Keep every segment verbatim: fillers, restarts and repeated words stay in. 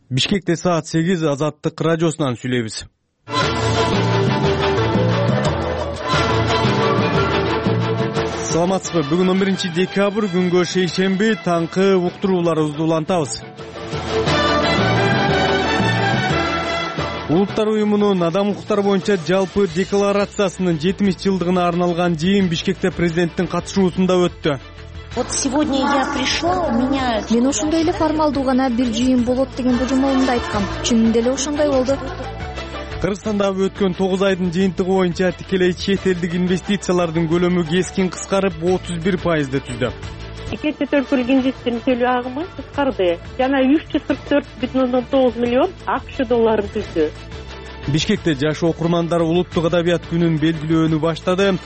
Бишкекте саат сегиз Азаттык радиосунан сүйлөйбүз. Саламатсызбы? Бүгүн он биринчи декабрь күнгө шейшемби таңкы уктурууларыбызды улантабыз. Улуттар уюмунун адам укуктары боюнча жалпы декларациясынын жетимиш жылдыгына арналган жыйын Бишкекте президенттин катышуусунда өттү. Вот сегодня я пришла, у меня... Мен ошондой эле формалдуу гана бир жыйын болот деген божомолумду айткам. Чынында эле ошондой болду. Кыргызстандагы өткөн тогуз айдын жыйынтыгы боюнча тикелей чет элдик инвестициялардын көлөмү кескин кыскарып отуз бир пайызды түздү. Чет өлкөлүк инвестордун төлөө агымы кыскарды жана үч жүз кырк төрт бүтүн ондон тогуз миллион АКШ долларын түздү. Бишкекте жаш окурмандар улуттук адабият күнүн белгилөөнү баштады.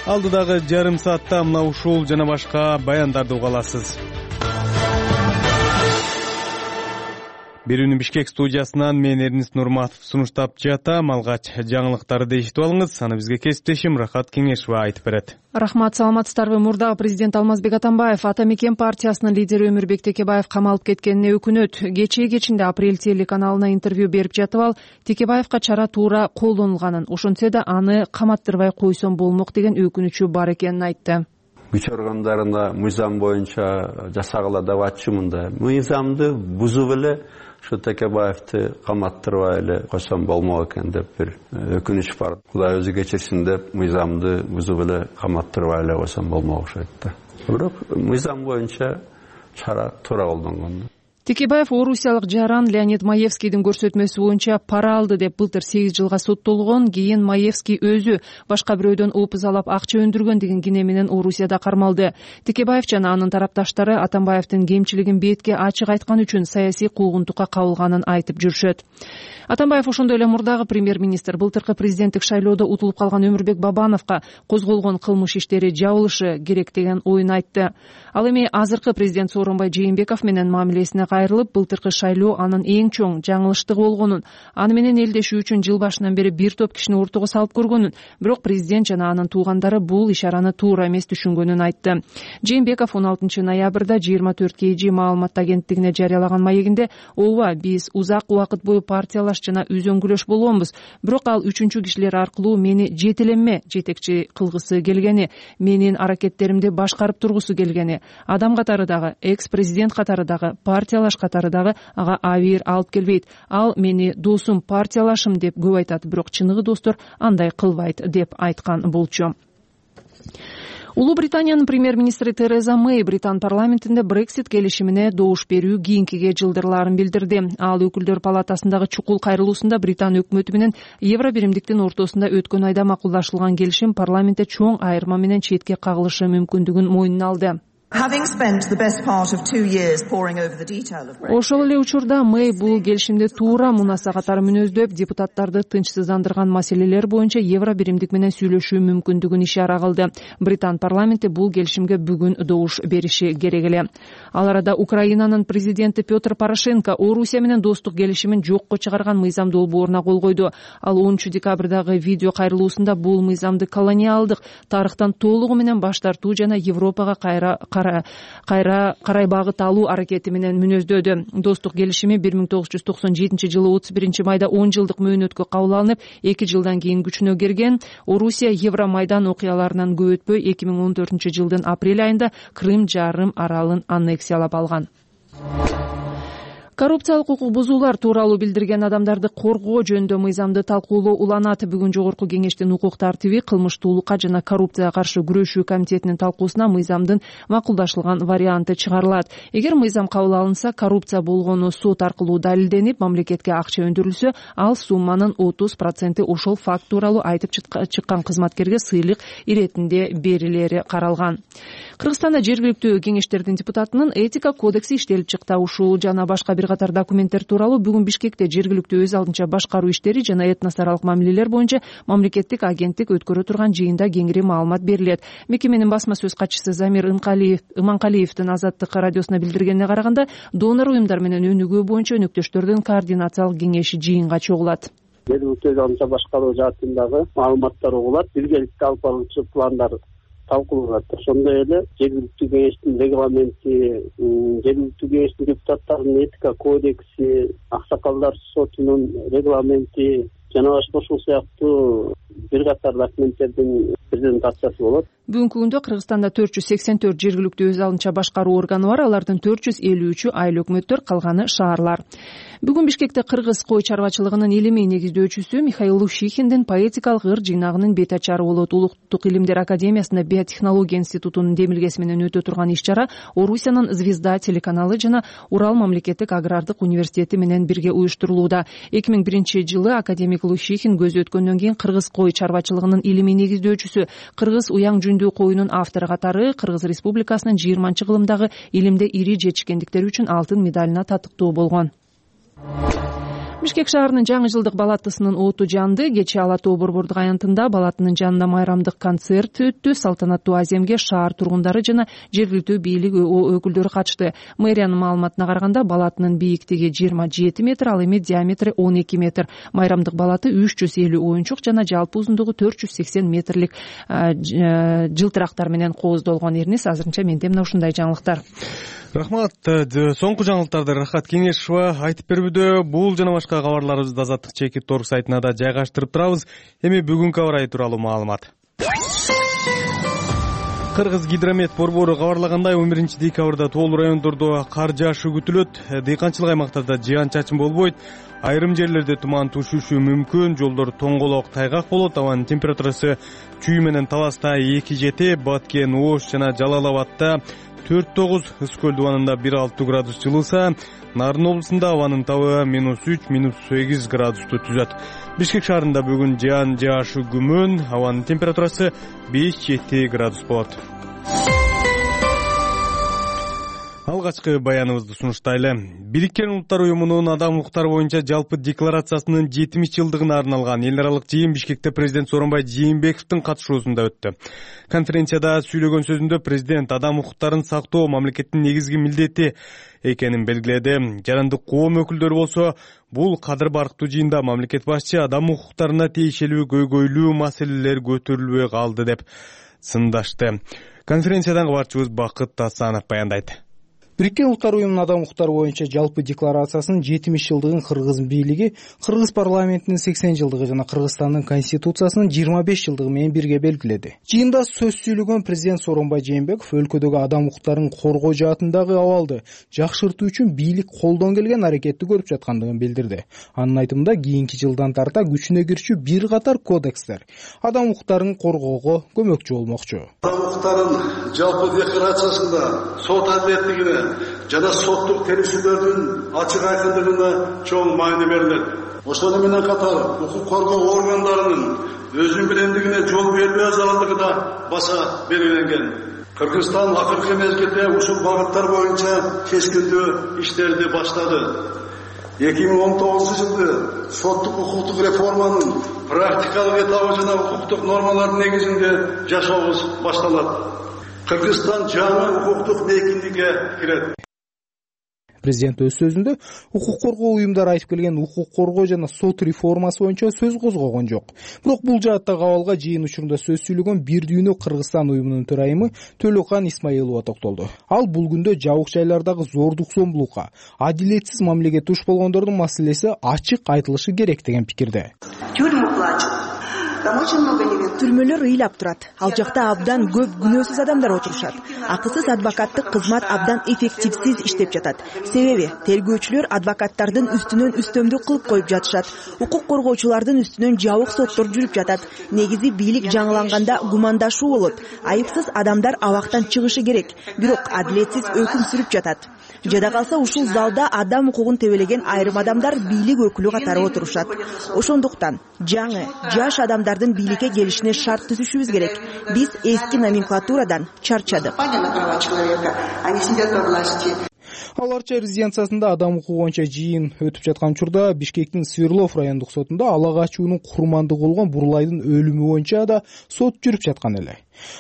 Алдыдагы жарым саатта мына ушул жана башка баяндарды уга аласыз. Берүүнү Бишкек студиясынан мен Эрнис Нурматов сунуштап жатам. Алгач жаңылыктарды эшитип алыңыз. Аны бизге кесиптешим Рахат Кеңешова айтып берет. Рахмат, саламатсыздарбы? Мурдагы президент Алмазбек Атамбаев Ата Мекен партиясынын лидери Өмүрбек Текебаев камалып кеткенине өкүнөт. Кечээ кечинде Апрель телеканалына интервью берип жатып ал Текебаевка чара туура колдонулганын, ошентсе да аны каматтырбай койсом болмок деген өкүнүчү бар экенин айтты. Күч органдарына мыйзам боюнча жасагыла деп атчумун. Мыйзамды бузуп эле ушу Текебаевди каматтырбай эле койсом болмок экен деп бир өкүнүч бар. Кудай өзү кечирсин деп мыйзамды бузуп эле каматтырбай эле койсом болмок окшойт да. Бирок мыйзам боюнча чара туура колдонгон. Текебаев орусиялык жаран Леонид Маевскийдин көрсөтмөсү боюнча пара алды деп былтыр сегиз жылга соттолгон. Кийин Маевский өзү башка бирөөдөн опузалап акча өндүргөн деген кине менен Орусияда кармалды. Текебаев жана анын тарапташтары Атамбаевдин кемчилигин бетке ачык айткан үчүн саясий куугунтукка кабылганын айтып жүрүшөт. Атамбаев ошондой эле мурдагы премьер-министр былтыркы президенттик шайлоодо утулуп калган Өмүрбек Бабановго козголгон кылмыш иштери жабылышы керек деген оюн айтты. Ал эми азыркы президент Сооронбай Жээнбеков менен мамилесине кайрылып, былтыркы шайлоо анын эң чоң жаңылыштыгы болгонун, аны менен элдешүү үчүн жыл башынан бери бир топ кишини ортого салып көргөнүн, бирок президент жана анын туугандары бул ишараны туура эмес түшүнгөнүн айтты. Жээнбеков он алтынчы ноябрда жыйырма төрт кей жи маалымат агенттигине жарыялаган маегинде ооба биз узак убакыт бою партиялаш жана үзөңгүлөш болгонбуз, бирок ал үчүнчү кишилер аркылуу мени жетелеме жетекчи кылгысы келгени, менин аракеттеримди башкарып тургусу келгени, адам катары дагы, экс-президент катары дагы, партиялаш катары дагы ага абийир алып келбейт. Ал мени досум, партиялашым деп көп айтат, бирок чыныгы достор андай кылбайт деп айткан болчу. Улуу Британиянын премьер-министри Тереза Мэй Британ парламентинде Брексит келишимине добуш берүү кийинкиге жылдырлаарын билдирди. Ал өкүлдөр палатасындагы чукул кайрылуусунда Британ өкмөтү менен Евро биримдиктин ортосунда өткөн айда макулдашылган келишим парламентте чоң айырма менен четке кагылышы мүмкүндүгүн мойнуна алды. Ошол эле учурда Мэй бул келишимди туура мунаса катары мүнөздөп, депутаттарды тынчсыздандырган маселелер боюнча Евро биримдик менен сүйлөшүү мүмкүндүгүн ишара кылды. Британ парламенти бул келишимге бүгүн добуш бериши керек эле. Ал арада Украинанын президенти Петр Порошенко Орусия менен достук келишимин жокко чыгарган мыйзам долбооруна кол койду. Ал онунчу декабрдагы видео кайрылуусунда бул мыйзамды колониалдык тарыхтан толугу менен баш тартуу жана Европага кайра кайра карай багыт алуу аракети менен мүнөздөдү. Достук келишими бир миң тогуз жүз токсон жетинчи жылы отуз биринчи майда он жылдык мөөнөткө кабыл алынып, эки жылдан кийин күчүнө кирген. Орусия Евромайдан окуяларынан көп өтпөй эки миң он төртүнчү жылдын апрель айында Крым жарым аралын аннексиялап алган. Коррупциялык укук бузуулар тууралуу билдирген адамдарды коргоо жөнүндө мыйзамды талкуулоо уланат. Бүгүн жогорку кеңештин укук тартиби, кылмыштуулукка жана коррупцияга каршы күрөшүү комитетинин талкуусуна мыйзамдын макулдашылган варианты чыгарылат. Эгер мыйзам кабыл алынса, коррупция болгону сот аркылуу далилденип, мамлекетке акча өндүрүлсө, ал сумманын отуз проценти ошол факт тууралуу айтып чыккан кызматкерге сыйлык иретинде берилери каралган. Кыргызстанда жергиликтүү кеңештердин депутатынын этика кодекси иштелип чыкты. Ушул жана башка бир катар документтер тууралуу бүгүн Бишкекте жергиликтүү өз алдынча башкаруу иштери жана этносаралык мамилелер боюнча мамлекеттик агенттик өткөрө турган жыйында кеңири маалымат берилет. Мекеменин басма сөз катчысы Замир Иманкалиевдин Азаттык радиосуна билдиргенине караганда, донор уюмдар менен өнүгүү боюнча өнөктөштөрдүн координациялык кеңеши жыйынга чогулат. Жергиликтүү өз алдынча башкаруу жаатындагы маалыматтар угулат, биргеликте алып баруучу пландар талкууланат. Ошондой эле жергиликтүү кеңештин регламенти, жергиликтүү кеңештин депутаттарынын этика кодекси, аксакалдар сотунун регламенти жана ошол сыяктуу бир катар документтердин презентациясы болот. Бүгүнкү күндө Кыргызстанда төрт жүз сексен төрт жергиликтүү өз алынча башкаруу органы бар, алардын төрт жүз элүү үчү айыл өкмөттөр, калганы шаарлар. Бүгүн Бишкекте кыргыз кой чарбачылыгынын илимий негиздөөчүсү Михаил Лущихиндин поэтикалык ыр жыйнагынын бет ачары болот. Улуттук илимдер академиясында биотехнология институтунун демилгеси менен өтө турган иш-чара Орусиянын Звезда телеканалы жана Урал мамлекеттик агрардык университети менен бирге уюштурулууда. эки миң биринчи жылы академик Лущихин көзү өткөндөн кийин кыргыз кой чарбачылыгынын илимий негиздөөчүсү, кыргыз уяң жүндүү коюнун автору катары Кыргыз Республикасынын жыйырманчы кылымдагы илимде ири жетишкендиктери үчүн алтын медалына татыктуу болгон. Бишкек шаарынын жаңы жылдык балаттысынын оту жанды. Кечээ Ала Тоо борбордук аянтында балатынын жанында майрамдык концерт өттү. Салтанаттуу аземге шаар тургундары жана жергиликтүү бийлик өкүлдөрү катышты. Мэриянын маалыматына караганда балатынын бийиктиги жыйырма жети метр, ал эми диаметри он эки метр. Майрамдык балаты үч жүз элүү оюнчук жана жалпы узундугу төрт жүз сексен метрлик жылтырактар менен кооздолгон. Эрнис, азырынча менде мына ушундай жаңылыктар. Рахмат. Соңку жаңылыктарды Рахат Кеңешова айтып берүүдө. Бул жана башка кабарларыбызды Азаттык чекит торг сайтына да жайгаштырып турабыз. Эми бүгүнкү аба ырайы тууралуу маалымат. Кыргыз гидромет борбору кабарлагандай, он биринчи декабрда тоол райондордо кар жаашы күтүлөт. Дыйканчылык аймактарда жыян-чачын болбойт. Айрым жерлерде туман түшүшү мүмкүн. Жолдор тоңголок, тайгак болот. Абанын температурасы Чүй менен Таласта эки жети, Баткен, Ош жана Жалал Абадта төрт тогуз, Ыскөл дубанында бир алты градус жылыса, Нарын облусунда абанын табы минус үч, минус сегиз градусту түзөт. Бишкек шаарында бүгүн жаан жаашы күмөн, абанын температурасы беш жети градус болот. Алгачкы баяныбызды сунуштайлы. Бириккен Улуттар уюмунун адам укуктары боюнча жалпы декларациясынын жетимиш жылдыгына арналган эл аралык жыйын Бишкекте президент Сооронбай Жээнбековдун катышуусунда өттү. Конференцияда сүйлөгөн сөзүндө президент адам укуктарын сактоо мамлекеттин негизги милдети экенин белгиледи. Жарандык коом өкүлдөрү болсо, бул кадыр барктуу жыйында мамлекет башчы адам укуктарына тиешелүү көйгөйлүү маселелер көтөрүлбөй калды деп сындашты. Конференциядан кабарчыбыз Бакыт Тасанов баяндайт. Бириккен Улуттар уюмунун адам укуктары боюнча жалпы декларациясынын жетимиш жылдыгын Кыргыз бийлиги, Кыргыз парламентинин сексен жылдыгы жана Кыргызстандын конституциясынын жыйырма беш жылдыгы менен бирге белгиледи. Жыйында сөз сүйлөгөн президент Сооронбай Жээнбеков өлкөдөгү адам укуктарын коргоо жаатындагы абалды жакшыртуу үчүн бийлик колдон келген аракетти көрүп жаткандыгын билдирди. Анын айтымында кийинки жылдан тарта күчүнө кирчү бир катар кодекстер адам укуктарын коргоого көмөкчү болмокчу. Адам укуктарын жалпы декларациясында сот адилеттигине жана соттук теришүүлөрдүн ачык айкындыгына чоң маани берилет. Ошону менен катар укук коргоо органдарынын өзүнүн билемдигине жол бербөө зарылдыгы да баса белгиленген. Кыргызстан акыркы мезгилде ушул багыттар боюнча кескиндүү иштерди баштады. эки миң он тогузунчу жылы соттук укуктук реформанын практикалык этабы жана укуктук нормалардын негизинде жашообуз башталат. Кыргызстан жаңы укуктук мейкиндикке кирет. Президент өз сөзүндө укук коргоо уюмдары айтып келген укук коргоо жана сот реформасы боюнча сөз козгогон жок. Бирок бул жааттагы абалга жыйын учурунда сөз сүйлөгөн Бир дүйнө Кыргызстан уюмунун төрайымы Төлөкан Исмаилова токтолду. Ал бул күндө жабык жайлардагы зордук зомбулукка, адилетсиз мамилеге туш болгондордун маселеси ачык айтылышы керек деген пикирде. Түрмөлөр ыйлап турат. Ал жакта абдан көп күнөөсүз адамдар отурушат. Акысыз адвокаттык кызмат абдан эффективсиз иштеп жатат. Себеби тергөөчүлөр адвокаттардын үстүнөн үстөмдүк кылып коюп жатышат. Укук коргоочулардын үстүнөн жабык соттор жүрүп жатат. Негизи бийлик жаңыланганда гумандашуу болот. Айыпсыз адамдар абактан чыгышы керек. Бирок адилетсиз өкүм сүрүп жатат. Жада калса ушул залда адам укугун тебелеген айрым адамдар бийлик өкүлү катары отурушат. Ошондуктан жаңы, жаш адамдардын бийликке келишине шарт түзүшүбүз керек. Биз эски номенклатурадан чарчадык. Ал Арча резиденциясында адам укугу боюнча жыйын өтүп жаткан учурда Бишкектин Свердлов райондук сотунда ала качуунун курмандыгы болгон Бурлайдын өлүмү боюнча да сот жүрүп жаткан эле.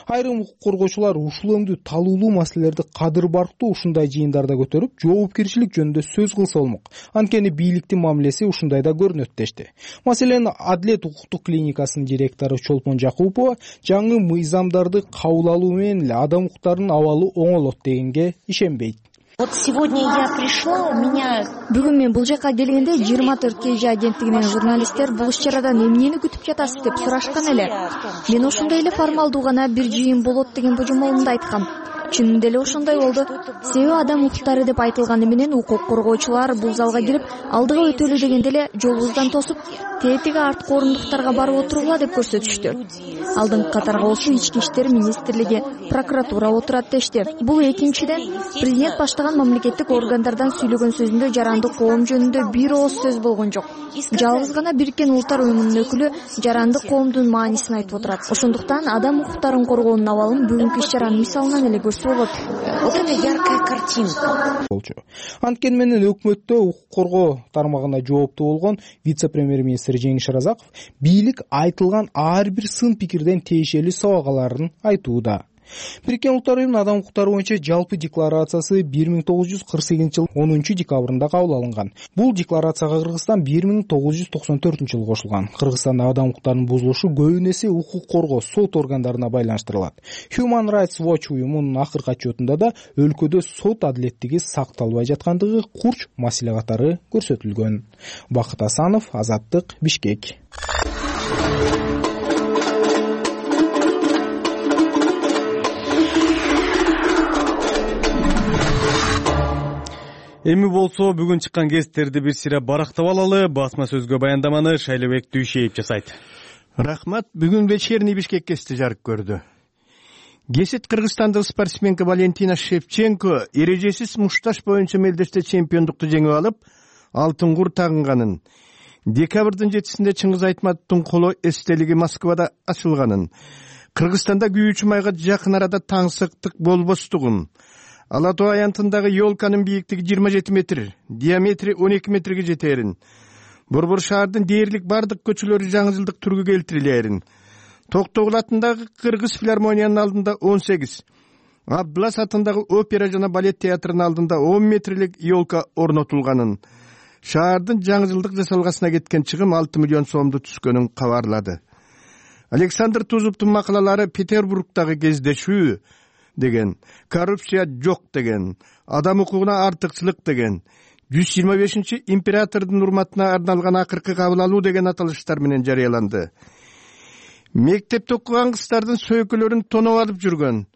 Айрым укук коргоочулар ушул өңдүү талуулуу маселелерди кадыр барктуу ушундай жыйындарда көтөрүп, жоопкерчилик жөнүндө сөз кылса болмок. Анткени бийликтин мамилеси ушундайда көрүнөт дешти. Маселен, Адилет укуктук клиникасынын директору Чолпон Жакупова жаңы мыйзамдарды кабыл алуу менен эле адам укуктарынын абалы оңолот дегенге ишенбейт. Вот сегодня я пришла, у меня... Бүгүн мен бул жака келгенде жыйырма төрт кей жи агенттигинин журналисттер бул иш-чарадан эмнени күтүп жатасыз деп сурашкан эле. Мен ошондой эле формалдуу гана бир жыйын болот деген божомолумду айткам. Чынында эле ошондой болду. Себеби адам укуктары деп айтылганы менен укук коргоочулар бул залга кирип, алдыга өтөлү дегенде эле жолубуздан тосуп, тетиги арткы орундуктарга барып отургула деп көрсөтүштү. Алдыңкы катарга болсо ички иштер министрлиги, прокуратура отурат дешти. Бул экинчиден, президент баштаган мамлекеттик органдардан сүйлөгөн сөзүндө жарандык коом жөнүндө бир ооз сөз болгон жок. Жалгыз гана Бириккен Улуттар уюмунун өкүлү жарандык коомдун маанисин айтып отурат. Ошондуктан адам укуктарын коргоонун абалын бүгүнкү иш-чаранын мисалынан эле көрсө болот. Вот это яркая картинка. Анткени менен өкмөттө укук коргоо тармагына жооптуу болгон вице-премьер-министр Жеңиш Разаков бийлик айтылган ар бир сын пикирден тиешелүү сабагаларын айтууда. Бириккен Улуттар уюмунун адам укуктары боюнча жалпы декларациясы бир миң тогуз жүз кырк сегизинчи жыл онунчу декабрында кабыл алынган. Бул декларацияга Кыргызстан бир миң тогуз жүз токсон төртүнчү жылы кошулган. Кыргызстанда адам укуктарынын бузулушу көбүн эсе укук коргоо сот органдарына байланыштырылат. Human Rights Watch уюмунун акыркы отчетунда да өлкөдө сот адилеттиги сакталбай жаткандыгы курч маселе катары көрсөтүлгөн. Бакыт Асанов, Азаттык, Бишкек. Эми болсо бүгүн чыккан гезиттерди бир сире барактап алалы. Басма сөзгө баяндаманы Шайлебек Дүйшеев жасайт. Рахмат. Бүгүн вечерний Бишкек гезити жарык көрдү. Гезит кыргызстандык спортсменка Валентина Шевченко эрежесиз мушташ боюнча мелдеште чемпиондукту жеңип алып, алтын кур тагынганын, декабрдын жетисинде Чыңгыз Айтматовдун коло эстелиги Москвада ачылганын, Кыргызстанда күйүүчү майга жакын арада таңсыктык болбостугун, Ала Тоо аянтындагы ёлканын бийиктиги жыйырма жети метр, диаметри он эки метрге жетээрин, Борбор шаардын дээрлик бардык көчөлөрү жаңы жылдык түргү келтирилээрин, Токтогул атындагы Кыргыз филармониянын алдында он сегиз, Абдулас атындагы опера жана балет театрынын алдында он метрлик ёлка орнотулганын, шаардын жаңы жылдык жасалгасына кеткен чыгым алты миллион сомду түскөнүн кабарлады. Александр Тузовдун макалалары Петербургдагы кездешүү деген, коррупция жок деген, адам укугуна артыкчылык деген, жүз жыйырма бешинчи императордун урматына арналган акыркы кабыл алуу деген аталыштар менен жарыяланды. Мектепте окуган кыздардын сөйкөлөрүн тоноп алып жүргөн,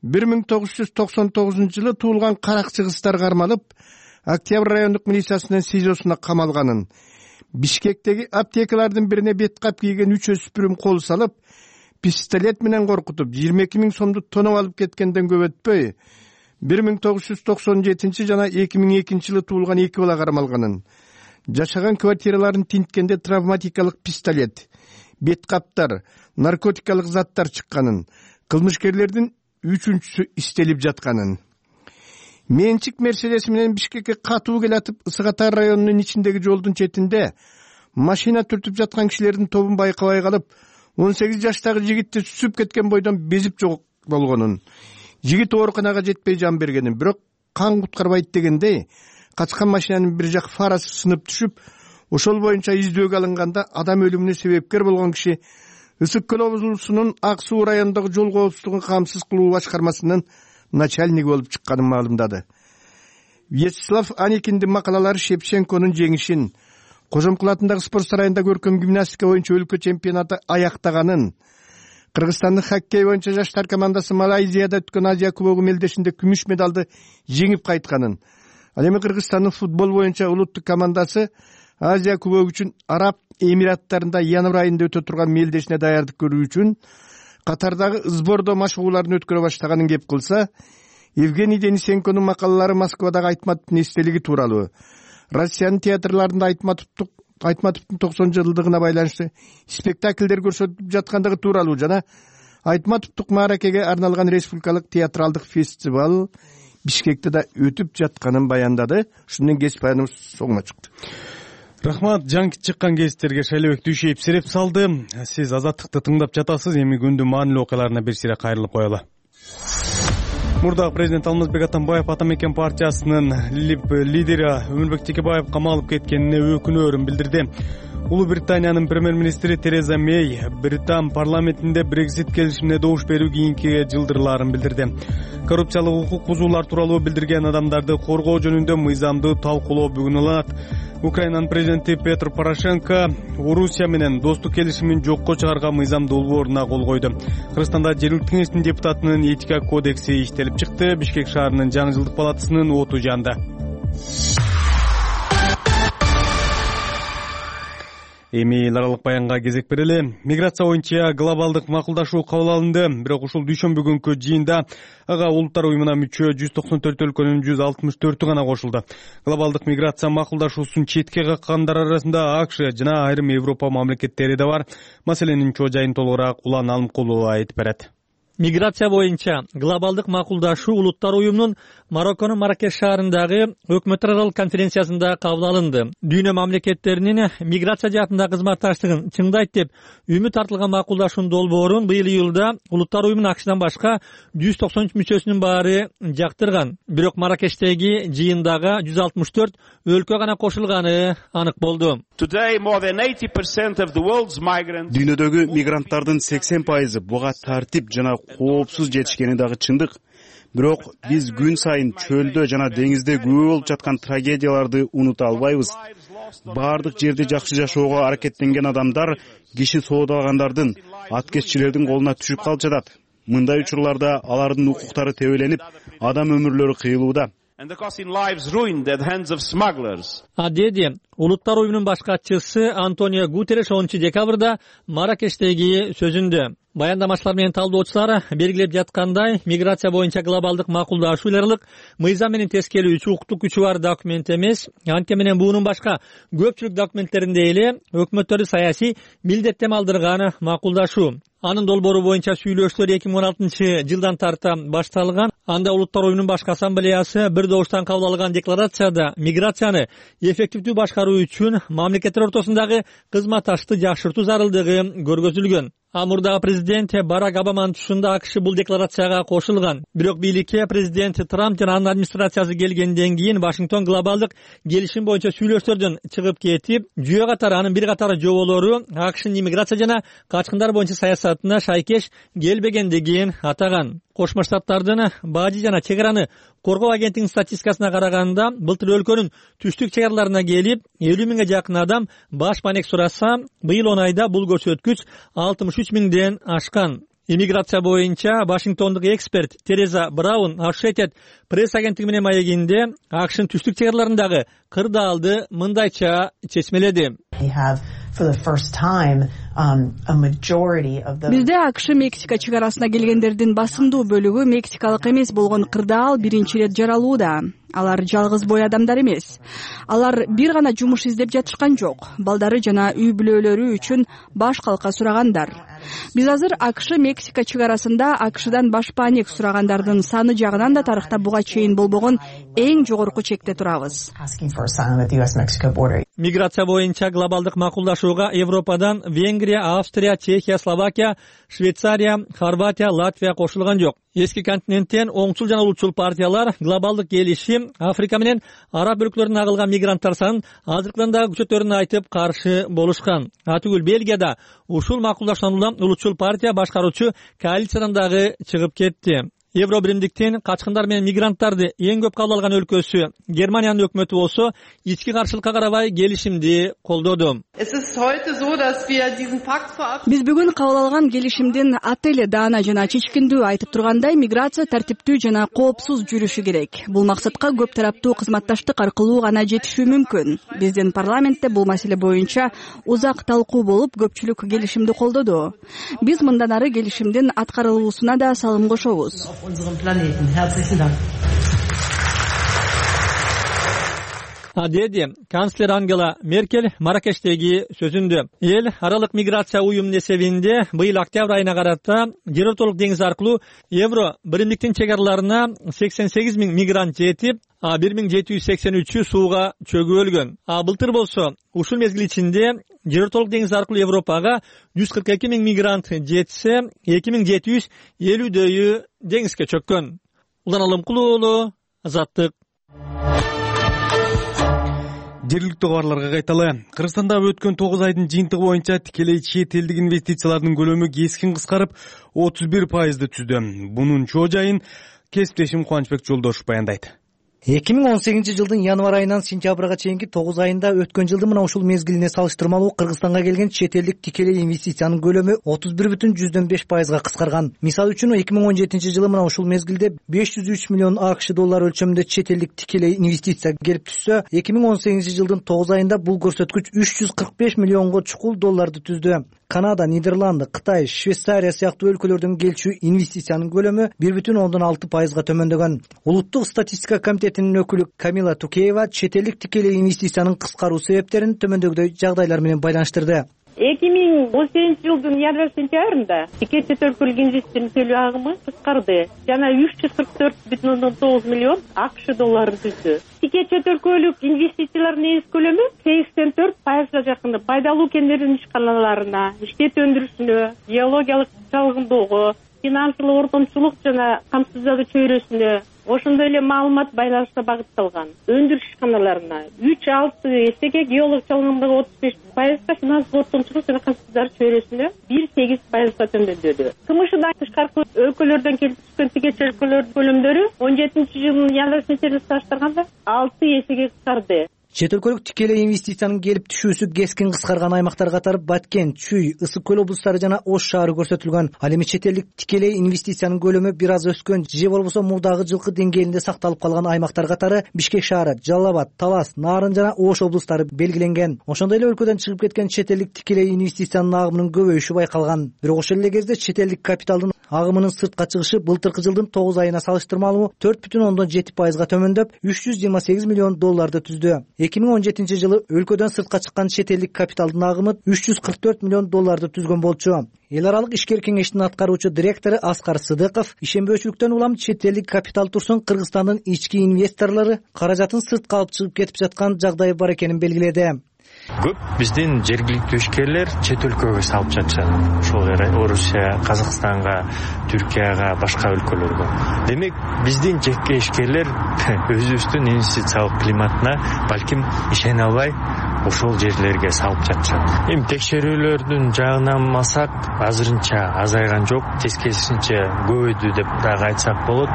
бир миң тогуз жүз токсон тогузунчу жылы туулган каракчы кыздар кармалып, Октябрь райондук милициясынын СИЗОсуна камалганын, Бишкектеги аптекалардын бирине бет кап кийген үч өспүрүм кол салып, пистолет менен коркутуп, жыйырма эки миң сомду тоноп алып кеткенден көп өтпөй, бир миң тогуз жүз токсон жетинчи жана эки миң экинчи жылы туулган эки бала кармалганын, жашаган квартираларын тинткенде травматикалык пистолет, бет каптар, наркотикалык заттар чыкканын, кылмышкерлердин үчүнчүсү истелип жатканын. Менчик Мерседес менен Бишкекке катуу келатып, Ысык-Ата районунун ичиндеги жолдун четинде машина түртүп жаткан кишилердин тобун байкабай калып, он сегиз жаштагы жигитти түсүп кеткен бойдон безип жок болгонун, жигит ооруканага жетпей жан бергенин, бирок кан куткарбайт дегендей, качкан машинанын бир жак фарасы сынып түшүп, ошол боюнча издөөгө алынганда адам өлүмүнө себепкер болгон киши Ысык көл облусунун Ак Суу районундагы жол коопсуздугун камсыз кылуу башкармасынын начальниги болуп чыкканын маалымдады. Вячеслав Аникиндин макалалары Шевченконун жеңишин, Кожомкул атындагы спорт сарайында көркөм гимнастика боюнча өлкө чемпионаты аяктаганын, Кыргызстандын хоккей боюнча жаштар командасы Малайзияда өткөн Азия кубогу мелдешинде күмүш медалды жеңип кайтканын, ал эми Кыргызстандын футбол боюнча улуттук командасы Азия кубогу үчүн Араб Эмираттарында январь айында өтө турган мелдешине даярдык көрүү үчүн катардагы сбордо машыгууларын өткөрө баштаганын кеп кылса, Евгений Денисенконун макалалары Москвадагы Айтматовдун эстелиги тууралуу, Россиянын театрларында Айтматовдун Айтматовдун токсон жылдыгына байланыштуу спектакльдер көрсөтүлүп жаткандыгы тууралуу жана Айтматовдук мааракеге арналган республикалык театралдык фестиваль Бишкекте да өтүп жатканын баяндады. Ушундан кесип баяныбыз соңуна чыкты. Рахмат. Жаңы чыккан кесиптерге Шайлебек Дүйшеев сереп салды. Сиз Азаттыкты тыңдап жатасыз. Эми күндүн маанилүү окуяларына бир сире кайрылып коелу. Мурдагы президент Алмазбек Атамбаев Ата Мекен партиясынын лидери Өмүрбек Текебаев камалып кеткенине өкүнөөрүн билдирди. Улуу Британиянын премьер-министри Тереза Мей Британ парламентинде Брексит келишимине добуш берүү кийинки жылдырларын билдирди. Коррупциялык укук бузуулар тууралуу билдирген адамдарды коргоо жөнүндө мыйзамды талкуулоо бүгүн уланат. Украинанын президенти Петр Порошенко Орусия менен достук келишимин жокко чыгарган мыйзам долбооруна кол койду. Кыргызстанда жергиликтүү кеңештин депутатынын этика кодекси иштелип чыкты. Бишкек шаарынын жаңы жылдык палатасынын оту жанды. Эми эл аралык баянга кезек берели. Миграция боюнча глобалдык макулдашуу кабыл алынды. Бирок ушул дүйшөмбү күнкү жыйында ага улуттар уюмуна мүчө жүз токсон төрт өлкөнүн жүз алтымыш төртү гана кошулду. Глобалдык миграция макулдашуусун четке каккандар арасында АКШ жана айрым Европа мамлекеттери да бар. Маселенин чоо жайын толугураак Улан Алымкулова айтып берет. Миграция боюнча глобалдык макулдашуу улуттар уюмунун Марокконун Маракеш шаарындагы өкмөттөр аралык конференциясында кабыл алынды. Дүйнө мамлекеттеринин миграция жаатындагы кызматташтыгын чыңдайт деп үмүт артылган макулдашуунун долбоорун быйыл июлда улуттар уюмунун АКШдан башка жүз токсон үч мүчөсүнүн баары жактырган. Бирок Маракештеги жыйындага жүз алтымыш төрт өлкө гана кошулганы анык болду. Дүйнөдөгү мигранттардын сексен пайызы буга тартип жана коопсуз жетишкени дагы чындык. Бирок биз күн сайын чөлдө жана деңизде күбө болуп жаткан трагедияларды унута албайбыз. Баардык жерде жакшы жашоого аракеттенген адамдар киши соодалагандардын, аткезчилердин колуна түшүп калып жатат. Мындай учурларда алардын укуктары тебеленип, адам өмүрлөрү кыйылууда. Деди улуттар уюмунун баш катчысы Антонио Гутерреш онунчу декабрда Маракештеги сөзүндө. Баяндамачылар менен талдоочулар белгилеп жаткандай, миграция боюнча глобалдык макулдашуу аралык мыйзам менен тескелүүчү укуктук күчү бар документ эмес. Анткени менен буунун башка көпчүлүк документтеринде эле өкмөттөрдү саясий милдеттеме алдырган макулдашуу. Анын долбоору боюнча сүйлөшүүлөр эки миң он алтынчы жылдан тарта башталган. Анда улуттар уюмунун башкы ассамблеясы бир добуштан кабыл алган декларацияда миграцияны эффективдүү башкаруу үчүн мамлекеттер ортосундагы кызматташты жакшыртуу зарылдыгы көргөзүлгөн. Мурдагы президент Барак Обаманын тушунда АКШ бул декларацияга кошулган. Бирок бийликке президент Трамп жана анын администрациясы келгенден кийин Вашингтон глобалдык келишим боюнча сүйлөшүүлөрдөн чыгып кетип, жүйө катары анын бир катары жоболору АКШнын иммиграция жана качкындар боюнча саясатына шайкеш келбегендигин атаган. Кошмо Штаттардын бажы жана чек араны коргоо агенттигинин статистикасына караганда, былтыр өлкөнүн түштүк чек араларына келип элүү миңге жакын адам баш маек сураса, быйыл он айда бул көрсөткүч алтымыш үч миңден ашкан. Иммиграция боюнча Вашингтондук эксперт Тереза Браун Associated пресс агенттиги менен маегинде АКШнын түштүк чек араларындагы кырдаалды мындайча чечмеледи. Бизде АКШ Мексика чек арасына келгендердин басымдуу бөлүгү мексикалык эмес болгон кырдаал биринчи ирет жаралууда. Алар жалгыз бой адамдар эмес. Алар бир гана жумуш издеп жатышкан жок. Балдары жана үй бүлөлөрү үчүн баш калка сурагандар. Биз азыр АКШ Мексика чек арасында АКШдан баш паек сурагандардын саны жагынан да тарыхта буга чейин болбогон эң жогорку чекте турабыз. Миграция боюнча глобалдык макулдашууга Европадан Венгрия, Австрия, Чехия, Словакия, Швейцария, Хорватия, Латвия кошулган жок. Эски континенттен оңчул жана улутчул партиялар глобалдык келишим Африка менен араб өлкөлөрүнөн агылган мигранттар санын азыркыдагы күчөтөрүн айтып каршы болушкан. Атүгүл Бельгияда ушул макулдашууну улутчул партия башкаруучу коалициядан дагы чыгып кетти. Евробиримдиктин качкындар менен мигранттарды эң көп кабыл алган өлкөсү Германиянын өкмөтү болсо ички каршылыкка карабай келишимди колдоду. Биз бүгүн кабыл алган келишимдин аты эле даана жана чечкиндүү айтып тургандай, миграция тартиптүү жана коопсуз жүрүшү керек. Бул максатка көп тараптуу кызматташтык аркылуу гана жетишүү мүмкүн. Биздин парламентте бул маселе боюнча узак талкуу болуп, көпчүлүк келишимди колдоду. Биз мындан ары келишимдин аткарылуусуна да салым кошобуз. деди канцлер Ангела Меркель Маракештеги сөзүндө. Эл аралык миграция уюмунун эсебинде быйыл октябрь айына карата жер ортолук деңиз аркылуу Евро биримдиктин чек араларына сексен сегиз миң мигрант жетип, бир миң жети жүз сексен үчү сууга чөгүп өлгөн. А былтыр болсо ушул мезгил ичинде жер ортолук деңиз аркылуу Европага жүз кырк эки миң мигрант жетсе, эки миң жети жүз элүүдөйү деңизге чөккөн. Улан Алымкулуу уулу, Азаттык. Жергиликтүү кабарларга кайталы. Кыргызстанда өткөн тогуз айдын жыйынтыгы боюнча тикелей чет элдик инвестициялардын көлөмү кескин кыскарып, отуз бир пайызды түздү. Бунун чоо жайын кесиптешим Кубанычбек Жолдошов баяндайт. эки миң он сегизинчи жылдын январь айынан сентябрга чейинки тогуз айында өткөн жылдын мына ушул мезгилине салыштырмалуу Кыргызстанга келген чет элдик тикелей инвестициянын көлөмү отуз бир бүтүн жүздөн беш пайызга кыскарган. Мисалы үчүн эки миң он жетинчи жылы мына ушул мезгилде беш жүз үч миллион АКШ доллары өлчөмүндө чет элдик тикелей инвестиция келип түшсө, эки миң он сегизинчи жылдын тогуз айында бул көрсөткүч үч жүз кырк беш миллионго чукул долларды түздү. Канада, Нидерланды, Кытай, Швейцария сыяктуу өлкөлөрдөн келчү инвестициянын көлөмү бир бүтүн ондон алты пайызга төмөндөгөн. Улуттук статистика комитетинин өкүлү Камила Тукеева чет элдик тикелей инвестициянын кыскаруу себептерин төмөндөгүдөй жагдайлар менен байланыштырды. эки миң он сегизинчи жылдын январь сентябрында тике чет өлкөлүк инвестордун төлөө агымы кыскарды жана үч жүз кырк төрт бүтүн ондон тогуз миллион АКШ долларын түздү. Тике чет өлкөлүк инвестициялардын негиз көлөмү сексен төрт пайызга жакын пайдалуу кендердин ишканаларына, иштет өндүрүшүнө, геологиялык чалгындоого, финансылык ортомчулук жана камсыздоо чөйрөсүнө, ошондой эле маалымат байланышка багытталган өндүрүш ишканаларына үч алты эсеге, геолог чалгындоого отуз беш пайызга, финансылык ортомчулук жана камсыздоо чөйрөсүнө бир сегиз пайызга төмөндөдү. КМШдан тышкаркы өлкөлөрдөн келип түшкөн тике чет өлкөлөрдүн көлөмдөрү он жетинчи жылдын январь сентябрь салыштырганда алты эсеге кыскарды. Чет өлкөлүк тикелей инвестициянын келип түшүүсү кескин кыскарган аймактар катары Баткен, Чүй, Ысык көл облустары жана Ош шаары көрсөтүлгөн. Ал эми чет элдик тикелей инвестициянын көлөмү бир аз өскөн же болбосо мурдагы жылкы деңгээлинде сакталып калган аймактар катары Бишкек шаары, Жалал Абад, Талас, Нарын жана Ош облустары белгиленген. Ошондой эле өлкөдөн чыгып кеткен чет элдик тикелей инвестициянын агымынын көбөйүшү байкалган. Бирок ошол эле кезде чет элдик капиталдын агымынын сыртка чыгышы былтыркы жылдын тогуз айына салыштырмалуу төрт бүтүн ондон жети пайызга төмөндөп, үч жүз жыйырма сегиз миллион долларды түздү. эки миң он жетинчи жылы өлкөдөн сыртка чыккан чет элдик капиталдын агымы үч жүз кырк төрт миллион долларды түзгөн болчу. Эл аралык ишкер кеңештин аткаруучу директору Аскар Сыдыков ишенбөөчүлүктөн улам чет элдик капитал турсун Кыргызстандын ички инвесторлору каражатын сыртка алып чыгып кетип жаткан жагдай бар экенин белгиледи. Көп биздин жергиликтүү ишкерлер чет өлкөгө салып жатышат. Ошол Орусия, Казакстанга, Түркияга, башка өлкөлөргө. Демек, биздин жеке ишкерлер өзүбүздүн инвестициялык климатына балким ишене албай ошол жерлерге салып жатышат. Эми текшерүүлөрдүн жагынан алсак, азырынча азайган жок, тескерисинче көбөйдү деп дагы айтсак болот.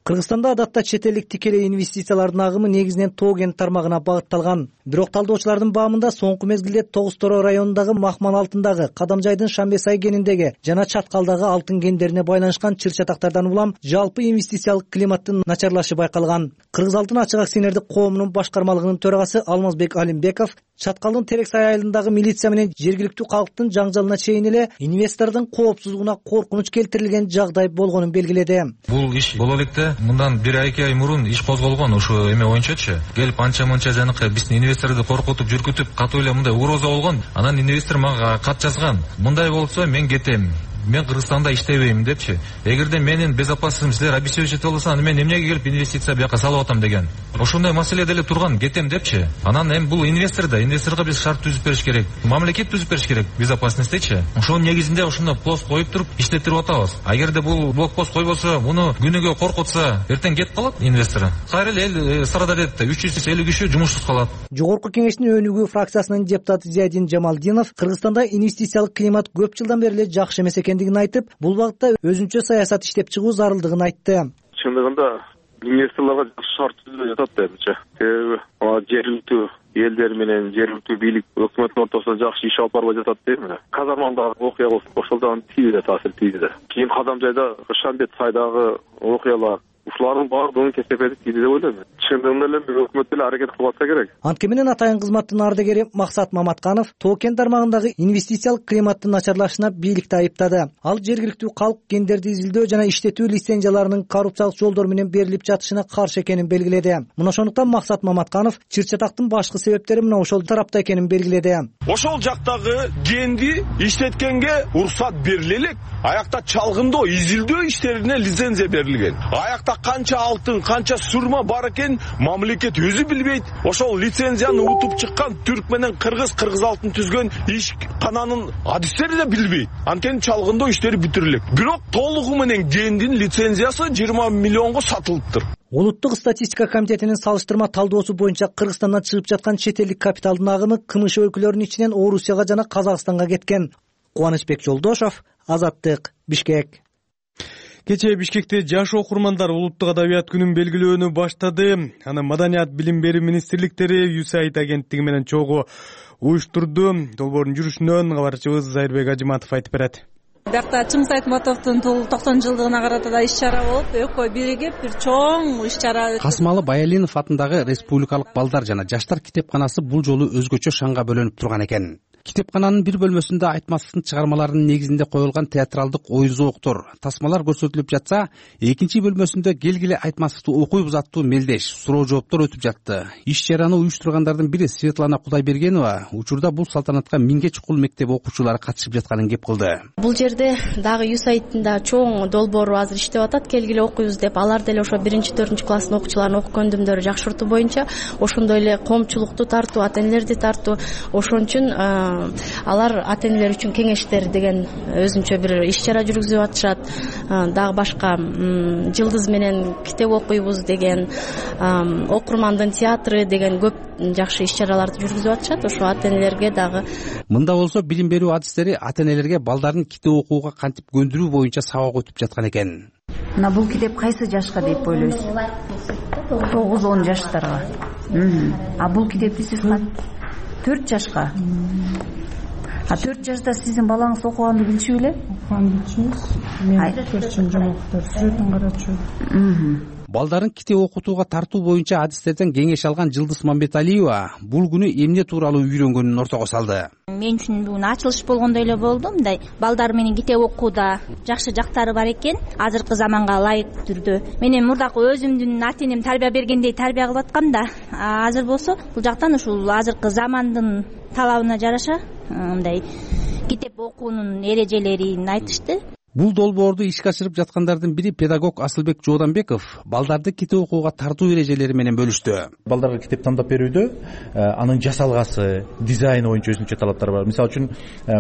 Кыргызстанда адатта чет элдик тикелей инвестициялардын агымы негизинен тоо кен тармагына багытталган. Бирок талдоочулардын баамында соңку мезгилде Тогуз Торо районундагы Махман алтындагы, Кадамжайдын Шамбесай кениндеги жана Чаткалдагы алтын кендерине байланышкан чыр-чатактардан улам жалпы инвестициялык климаттын начарлашы байкалган. Кыргыз алтын ачык акционердик коомунун башкармалыгынын төрагасы Алмазбек Алимбеков Чаткалдын Терексай айылындагы милиция менен жергиликтүү калктын жаңжалына чейин эле инвестордун коопсуздугуна коркунуч келтирилген жагдай болгонун белгиледи. Бул иш боло электе мындан бир ай эки ай мурун иш козголгон ошо эме боюнчачы. Келип анча-мынча жанакы биздин инвесторду коркутуп, жүргүтүп, катуу эле мындай угроза болгон. Анан инвестор мага кат жазган. Мындай болсо мен кетем. Мен Кыргызстанда иштебейм депчи. Эгерде менин безопасностьум силер обеспечить болсо, аны мен эмнеге келип инвестиция бияка салып атам деген. Ошондой маселе деле турган, кетем депчи. Анан эми бул инвестор да, инвесторго биз шарт түзүп бериш керек. Мамлекет түзүп бериш керек безопасностьтечи. Ошонун негизинде ошондо пост коюп туруп иштетирип атабыз. А эгерде бул блокпост койбосо, муну күнүгө коркутса, эртең кетип калат инвестор. Кайра эле эл Сарадалетте үч жүз элүү киши жумушсуз калат. Жогорку кеңештин өнүгүү фракциясынын депутаты Зиядин Жамалдинов Кыргызстанда инвестициялык климат көп жылдан бери эле жакшы эмес экендигин айтып, бул багытта өзүнчө саясат иштеп чыгуу зарылдыгын айтты. Чындыгында инвесторлорго жакшы шарт түзүлүп жатат менимче. Себеби жергиликтүү элдер менен жергиликтүү бийлик өкмөттүн ортосунда жакшы иш алып барбай жатат дейм эле. Казармандагы окуя болсун, ошолдон тийди таасир тийди. Кийин Кадамжайда Шамбет сайдагы окуялар, ушулардын баардыгын кесепети тийди деп ойлойм. Чындыгында эле өкмөт деле аракет кылып атса керек. Анткени менен атайын кызматтын ардагери Максат Маматканов Тоо кен тармагындагы инвестициялык климаттын начарлашына бийликти айыптады. Ал жергиликтүү калк гендерди изилдөө жана иштетүү лицензияларынын коррупциялык жолдор менен берилип жатышына каршы экенин белгиледи. Мына ошондуктан Максат Маматканов чыр чатактын башкы себептери мына ошол тарапта экенин белгиледи. Ошол жактагы генди иштеткенге уруксат бериле элек. Аякта чалгындоо, изилдөө иштерине лицензия берилген. Аякта канча алтын, канча сурма бар экен мамлекет өзү билбейт. Ошол лицензияны утуп чыккан түрк менен кыргыз, кыргыз алтын түзгөн ишкананын адистери да билбейт. Анткени чалгындоо иштери бүтүрүлөк. Бирок толугу менен гендин лицензиясы жыйырма миллионго сатылыптыр. Улуттук статистика комитетинин салыштырма талдоосу боюнча Кыргызстандан чыгып жаткан чет элдик капиталдын агымы КМШ өлкөлөрүнүн ичинен Орусияга жана Казакстанга кеткен. Кубанычбек Жолдошов, Азаттык, Бишкек. Кечээ Бишкекте жаш окурмандар улуттук адабият күнүн белгилөөнү баштады. Аны Маданият билим берүү министрликтери ю эс эй ай ди агенттиги менен чогуу уюштурду. Долбоордун жүрүшүнөн кабарчыбыз Зайырбек Ажыматов айтып берет. Биякта Чыңгыз Айтматовдун токсон жылдыгына карата да иш-чара болуп, экөө биригип бир чоң иш-чара. Касымалы Баялинов атындагы Республикалык балдар жана жаштар китепканасы бул жолу өзгөчө шаңга бөлөнүп турган экен. Китепкананын бир бөлмөсүндө Айтматовдун чыгармаларынын негизинде коюлган театралдык оюн зооктор, тасмалар көрсөтүлүп жатса, экинчи бөлмөсүндө келгиле Айтматовду окуйбуз аттуу мелдеш, суроо жооптор өтүп жатты. Иш-чараны уюштургандардын бири Светлана Кудайбергенова учурда бул салтанатка миңге чукул мектеп окуучулары катышып жатканын кеп кылды. Бул жерде дагы ю эс эй ай дин чоң долбоору азыр иштеп атат, келгиле окуйбуз деп. Алар деле ошо биринчи төртүнчү класстын окуучуларынын окуу көндүмдөрү жакшыртуу боюнча ошондой эле коомчулукту тартуу, ата-энелерди тартуу, ошон үчүн алар ата-энелер үчүн кеңештер деген өзүнчө бир иш-чара жүргүзүп атышат. Дагы башка жылдыз менен китеп окуйбуз деген, окурмандын театры деген көп жакшы иш-чараларды жүргүзүп атышат. Ошо ата-энелерге дагы мында болсо билим берүү адистери ата-энелерге балдарын китеп окууга кантип көндүрүү боюнча сабак өтүп жаткан экен. Мына бул китеп кайсы жашка деп ойлойсуз? тогуз он жаштарга. А бул китепти сиз төрт жашка. А төрт жашта сиздин балаңыз окуганды билчү беле? Окуганды билчүбүз. Мен көрчүм жомоктор, сүрөтүн карачу. Балдарын китеп окутууга тартуу боюнча адистерден кеңеш алган Жылдыз Мамбеталиева бул күнү эмне тууралуу үйрөнгөнүн ортого салды. Мен үчүн бул ачылыш болгондой эле болду. Мындай балдар менен китеп окууда жакшы жактары бар экен, азыркы заманга ылайык түрдө. Мен эми мурдакы өзүмдүн ата-энем тарбия бергендей тарбия кылып аткам да, азыр болсо бул жактан ушул азыркы замандын талабына жараша мындай китеп окуунун эрежелерин айтышты. Бул долбоорду ишке ашырып жаткандардын бири педагог Асылбек Жооданбеков балдарды китеп окууга тартуу эрежелери менен бөлүштү. Балдарга китеп тандап берүүдө анын жасалгасы, дизайны боюнча өзүнчө талаптар бар. Мисалы үчүн,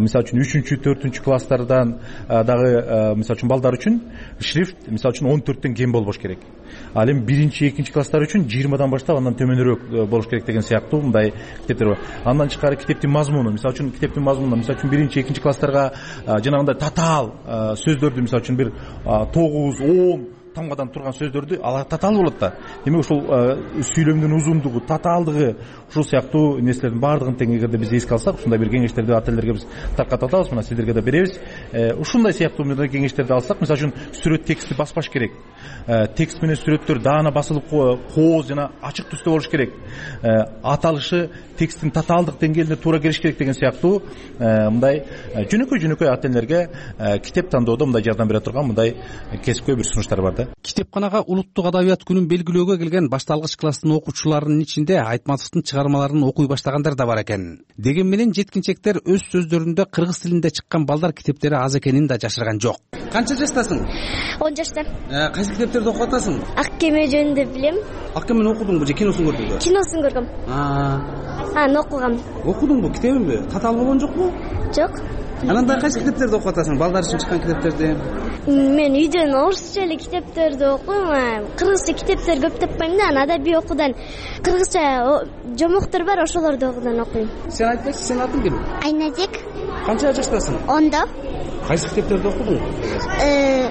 мисалы үчүн үчүнчү, төртүнчү класстардан дагы мисалы үчүн балдар үчүн шрифт мисалы үчүн он төрттөн кем болбош керек. Ал эми биринчи, экинчи класстар үчүн жыйырмадан баштап андан төмөнүрөөк болуш керек деген сыяктуу мындай китептер бар. Андан тышкары китептин мазмуну, мисалы үчүн китептин мазмуну, мисалы үчүн биринчи, экинчи класстарга жанагындай татаал сөздөрдү мисалы үчүн бир тогуз он тамгадан турган сөздөрдү алар татаал болот да. Демек ушул сүйлөмдүн узундугу, татаалдыгы ушул сыяктуу нерселердин баардыгын тең эгерде биз эске алсак, ушундай бир кеңештерди ата-энелерге биз таркатып атабыз, мына сиздерге да беребиз. Ушундай сыяктуу кеңештерди алсак, мисалы үчүн сүрөт текстти баспаш керек. Текст менен сүрөттөр даана басылып кооз жана ачык түстө болуш керек. Аталышы тексттин татаалдык деңгээлине туура келиш керек деген сыяктуу мындай жөнөкөй-жөнөкөй ата-энелерге китеп тандоодо мындай жардам бере турган мындай кесипкөй бир сунуштар бар. Китепканага улуттук адабият күнүн белгилөөгө келген башталгыч класстын окуучуларынын ичинде Айтматовдун чыгармаларын окуй баштагандар да бар экен. Деген менен жеткинчектер өз сөздөрүндө кыргыз тилинде чыккан балдар китептери аз экенин да жашырган жок. Канча жаштасың? он жашта. Кайсы китептерди окуп атасың? Ак кеме жөнүндө билем. Ак кемени окудуңбу же киносун көрдүңбү? Киносун көргөм. Аны окугам. Окудуңбу, китебинби? Татаал болгон жокпу? Жок. Анан да кайсы китептерди окуп атасың? Балдар үчүн чыккан китептерди? Мен үйдөн орусча эле китептерди окуйм, кыргызча китептер көп таппайм да, анан адабий окуудан кыргызча жомоктор бар, ошолорду окуудан окуйм. Сен айтпайсың, сенин атың ким? Айназек. Канча жаштасың? ондо. Кайсы китептерди окудуң?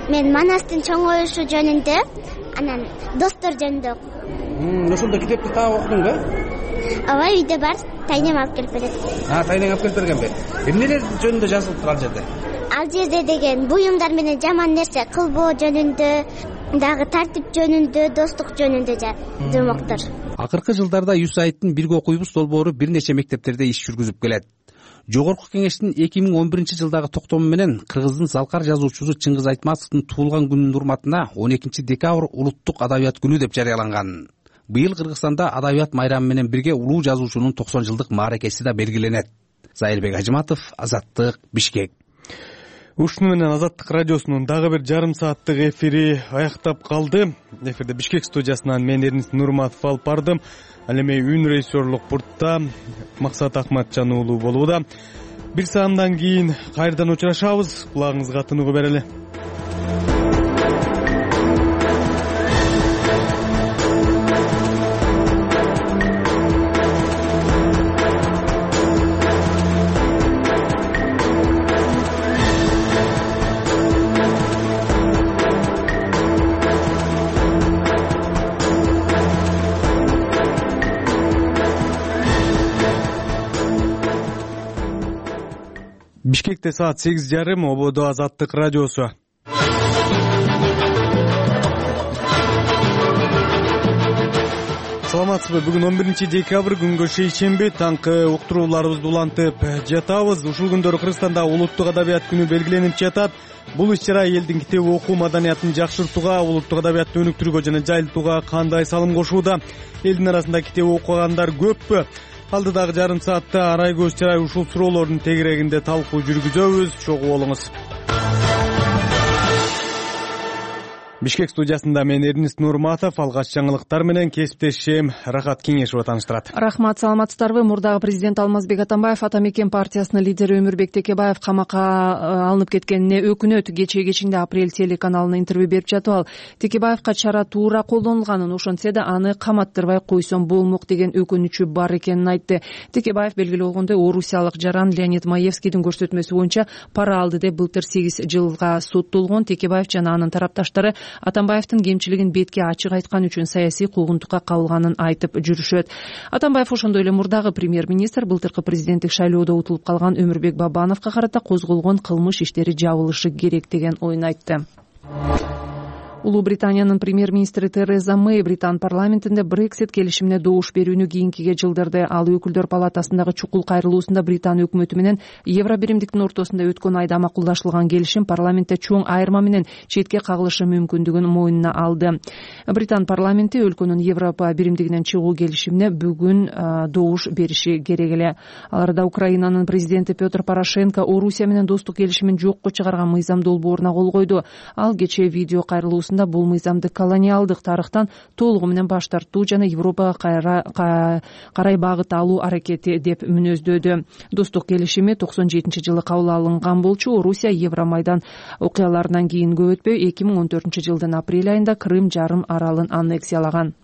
Мен Манастын чоң оюшу жөнүндө, анан достор жөнүндө окудум. Ошондо китепти таап окудуң да? Ооба, үйдө бар, тайнем алып келип берет. А, тайнең алып келип бергенби? Эмнелер жөнүндө жазылыптыр ал жерде? Ал жерде деген буюмдар менен жаман нерсе кылбоо жөнүндө, дагы тартип жөнүндө, достук жөнүндө жомоктор. Акыркы жылдарда юсаидтин бирге окуйбуз долбоору бир нече мектептерде иш жүргүзүп келет. Жогорку Кеңештин эки миң он биринчи жылдагы токтому менен Кыргыздын залкар жазуучусу Чыңгыз Айтматовдун туулган күнүнүн урматына он экинчи декабрь улуттук адабият күнү деп жарыяланган. Быйыл Кыргызстанда адабият майрамы менен бирге улуу жазуучунун токсон жылдык мааракеси да белгиленет. Зайырбек Ажыматов, Азаттык, Бишкек. Ушуну менен Азаттык радиосунун дагы бир жарым сааттык эфири аяктап калды. Эфирде Бишкек студиясынан мен Эрнис Нурматов алып бардым. Ал эми үн режиссерлук пультта Максат Акматжан уулу болууда. Бир саамдан кийин кайрадан учурашабыз. Кулагыңызга тыныгуу берели. Бишкекте саат сегиз жарым, ободо Азаттык радиосу. Саламатсызбы? Бүгүн он биринчи декабрь күнгө шейшемби, таңкы уктурууларыбызды улантып жатабыз. Ушул күндөрү Кыргызстанда улуттук адабият күнү белгиленип жатат. Бул иш-чара элдин китеп окуу маданиятын жакшыртууга, улуттук адабиятты өнүктүрүүгө жана жайылтууга кандай салым кошууда? Элдин арасында китеп окугандар көппү? Алдыдагы жарым саатта арай көз чарай ушул суроолордун тегерегинде талкуу жүргүзөбүз. Чогуу болуңуз. Бишкек студиясында мен Эрнис Нурматов, алгач жаңылыктар менен кесиптешим Рахат Кеңешова тааныштырат. Рахмат, саламатсыздарбы? Мурдагы президент Алмазбек Атамбаев Ата мекен партиясынын лидери Өмүрбек Текебаев камакка алынып кеткенине өкүнөт. Кечээ кечинде Апрель телеканалына интервью берип жатып ал Текебаевка чара туура колдонулганын, ошентсе да аны каматтырбай койсом болмок деген өкүнүчү бар экенин айтты. Текебаев белгилүү болгондой орусиялык жаран Леонид Маевскийдин көрсөтмөсү боюнча пара алды деп былтыр сегиз жылга соттолгон. Текебаев жана анын тарапташтары Атамбаевдин кемчилигин бетке ачык айткан үчүн саясий куугунтукка кабылганын айтып жүрүшөт. Атамбаев ошондой эле мурдагы премьер-министр былтыркы президенттик шайлоодо утулуп калган Өмүрбек Бабановго карата козголгон кылмыш иштери жабылышы керек деген оюн айтты. Улуу Британиянын премьер-министри Тереза Мэй Британ парламентинде Брексит келишимине добуш берүүнү кийинкиге жылдырды. Ал өкүлдөр палатасындагы чукул кайрылуусунда Британ өкмөтү менен Евро биримдиктин ортосунда өткөн айда макулдашылган келишим парламентте чоң айырма менен четке кагылышы мүмкүндүгүн мойнуна алды. Британ парламенти өлкөнүн Европа биримдигинен чыгуу келишимине бүгүн добуш бериши керек эле. Аларда Украинанын президенти Петр Порошенко Орусия менен достук келишимин жокко чыгарган мыйзам долбооруна кол койду. Ал кечээ видео кайрылуусунда бул мыйзамды колониалдык тарыхтан толугу менен баш тартуу жана Европага карай багыт алуу аракети деп мүнөздөдү. Достук келишими токсон жетинчи жылы кабыл алынган болчу. Орусия Евромайдан окуяларынан кийин көп өтпөй эки миң он төртүнчү жылдын апрель айында Крым жарым аралын аннексиялаган.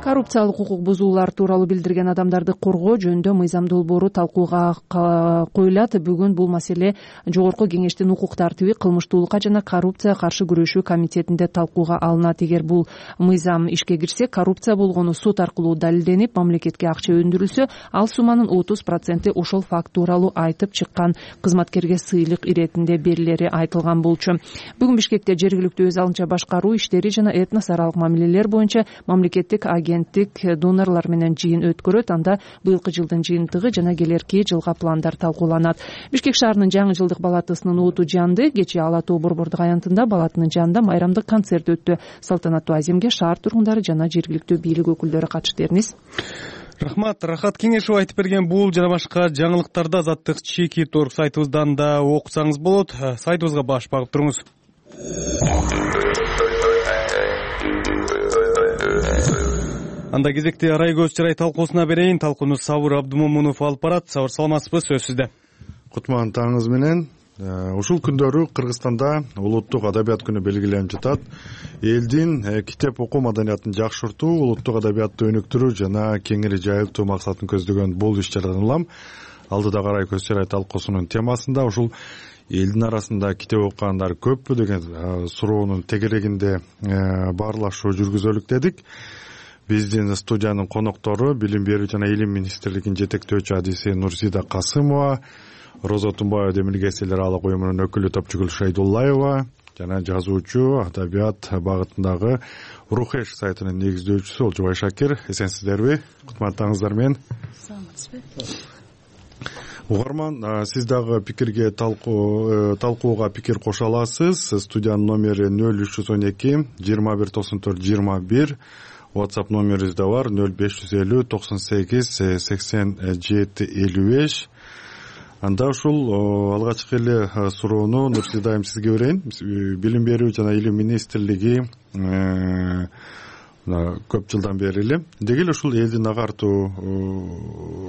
Коррупциялык укук бузуулар тууралуу билдирген адамдарды коргоо жөнүндө мыйзам долбоору талкууга коюлат. Бүгүн бул маселе Жогорку Кеңештин укук тартиби, кылмыштуулукка жана коррупцияга каршы күрөшүү комитетинде талкууга алынат. Эгер бул мыйзам ишке кирсе, коррупция болгону сот аркылуу далилденип, мамлекетке акча өндүрүлсө, ал сумманын отуз проценти ошол факт тууралуу айтып чыккан кызматкерге сыйлык иретинде берилери айтылган болчу. Бүгүн Бишкекте жергиликтүү өз алынча башкаруу иштери жана этнос аралык мамилелер боюнча мамлекеттик агенттик донорлор менен жыйын өткөрөт. Анда быйылкы жылдын жыйынтыгы жана келерки жылга пландар талкууланат. Бишкек шаарынын жаңы жылдык балатысынын оту жанды. Кечээ Ала Тоо борбордук аянтында балатынын жанында майрамдык концерт өттү. Салтанаттуу аземге шаар тургундары жана жергиликтүү бийлик өкүлдөрү катышты. Эрнис. Рахмат. Рахат Кеңешова айтып берген бул жана башка жаңылыктарды Азаттык чеки торг сайтыбыздан да окусаңыз болот. Сайтыбызга баш багып туруңуз. Анда кезекти арай көз чарай талкуусуна берейин. Талкууну Сабыр Абдумомунов алып барат. Сабыр, саламатсызбы? Сөз сизде. Кутман таңыңыз менен. Ушул күндөрү Кыргызстанда улуттук адабият күнү белгиленип жатат. Элдин китеп окуу маданиятын жакшыртуу, улуттук адабиятты өнүктүрүү жана кеңири жайылтуу максатын көздөгөн бул иш-чарадан улам алдыдагы арай көз чарай талкуусунун темасында ушул элдин арасында китеп окугандар көппү деген суроонун тегерегинде баарлашуу жүргүзөлүк дедик. Биздин студиянын коноктору Билим берүү жана илим министрлигинин жетектөөчү адиси Нурзида Касымова, Роза Тумбаева Демиргес эл аралык уюмунун өкүлү Топчугүл Шайдуллаева, жана жазуучу, адабият багытындагы Рухеш сайтынын негиздөөчүсү Олжобай Шакир. Эсенсиздерби? Кутматтаңыздар менен. Саламатсызбы? Угарман, сиз дагы пикирге талкууга пикир кошо аласыз. Студиянын номери нөл үч жүз он эки жыйырма бир токсон төрт жыйырма бир. WhatsApp номерибиз да бар нөл беш жүз элүү токсон сегиз сексен жети элүү беш. Анда ушул алгачкы эле суроону Нурсиз дайым сизге берейин. Билим берүү жана илим министрлиги көп жылдан бери эле деги эле ушул элдин агартуу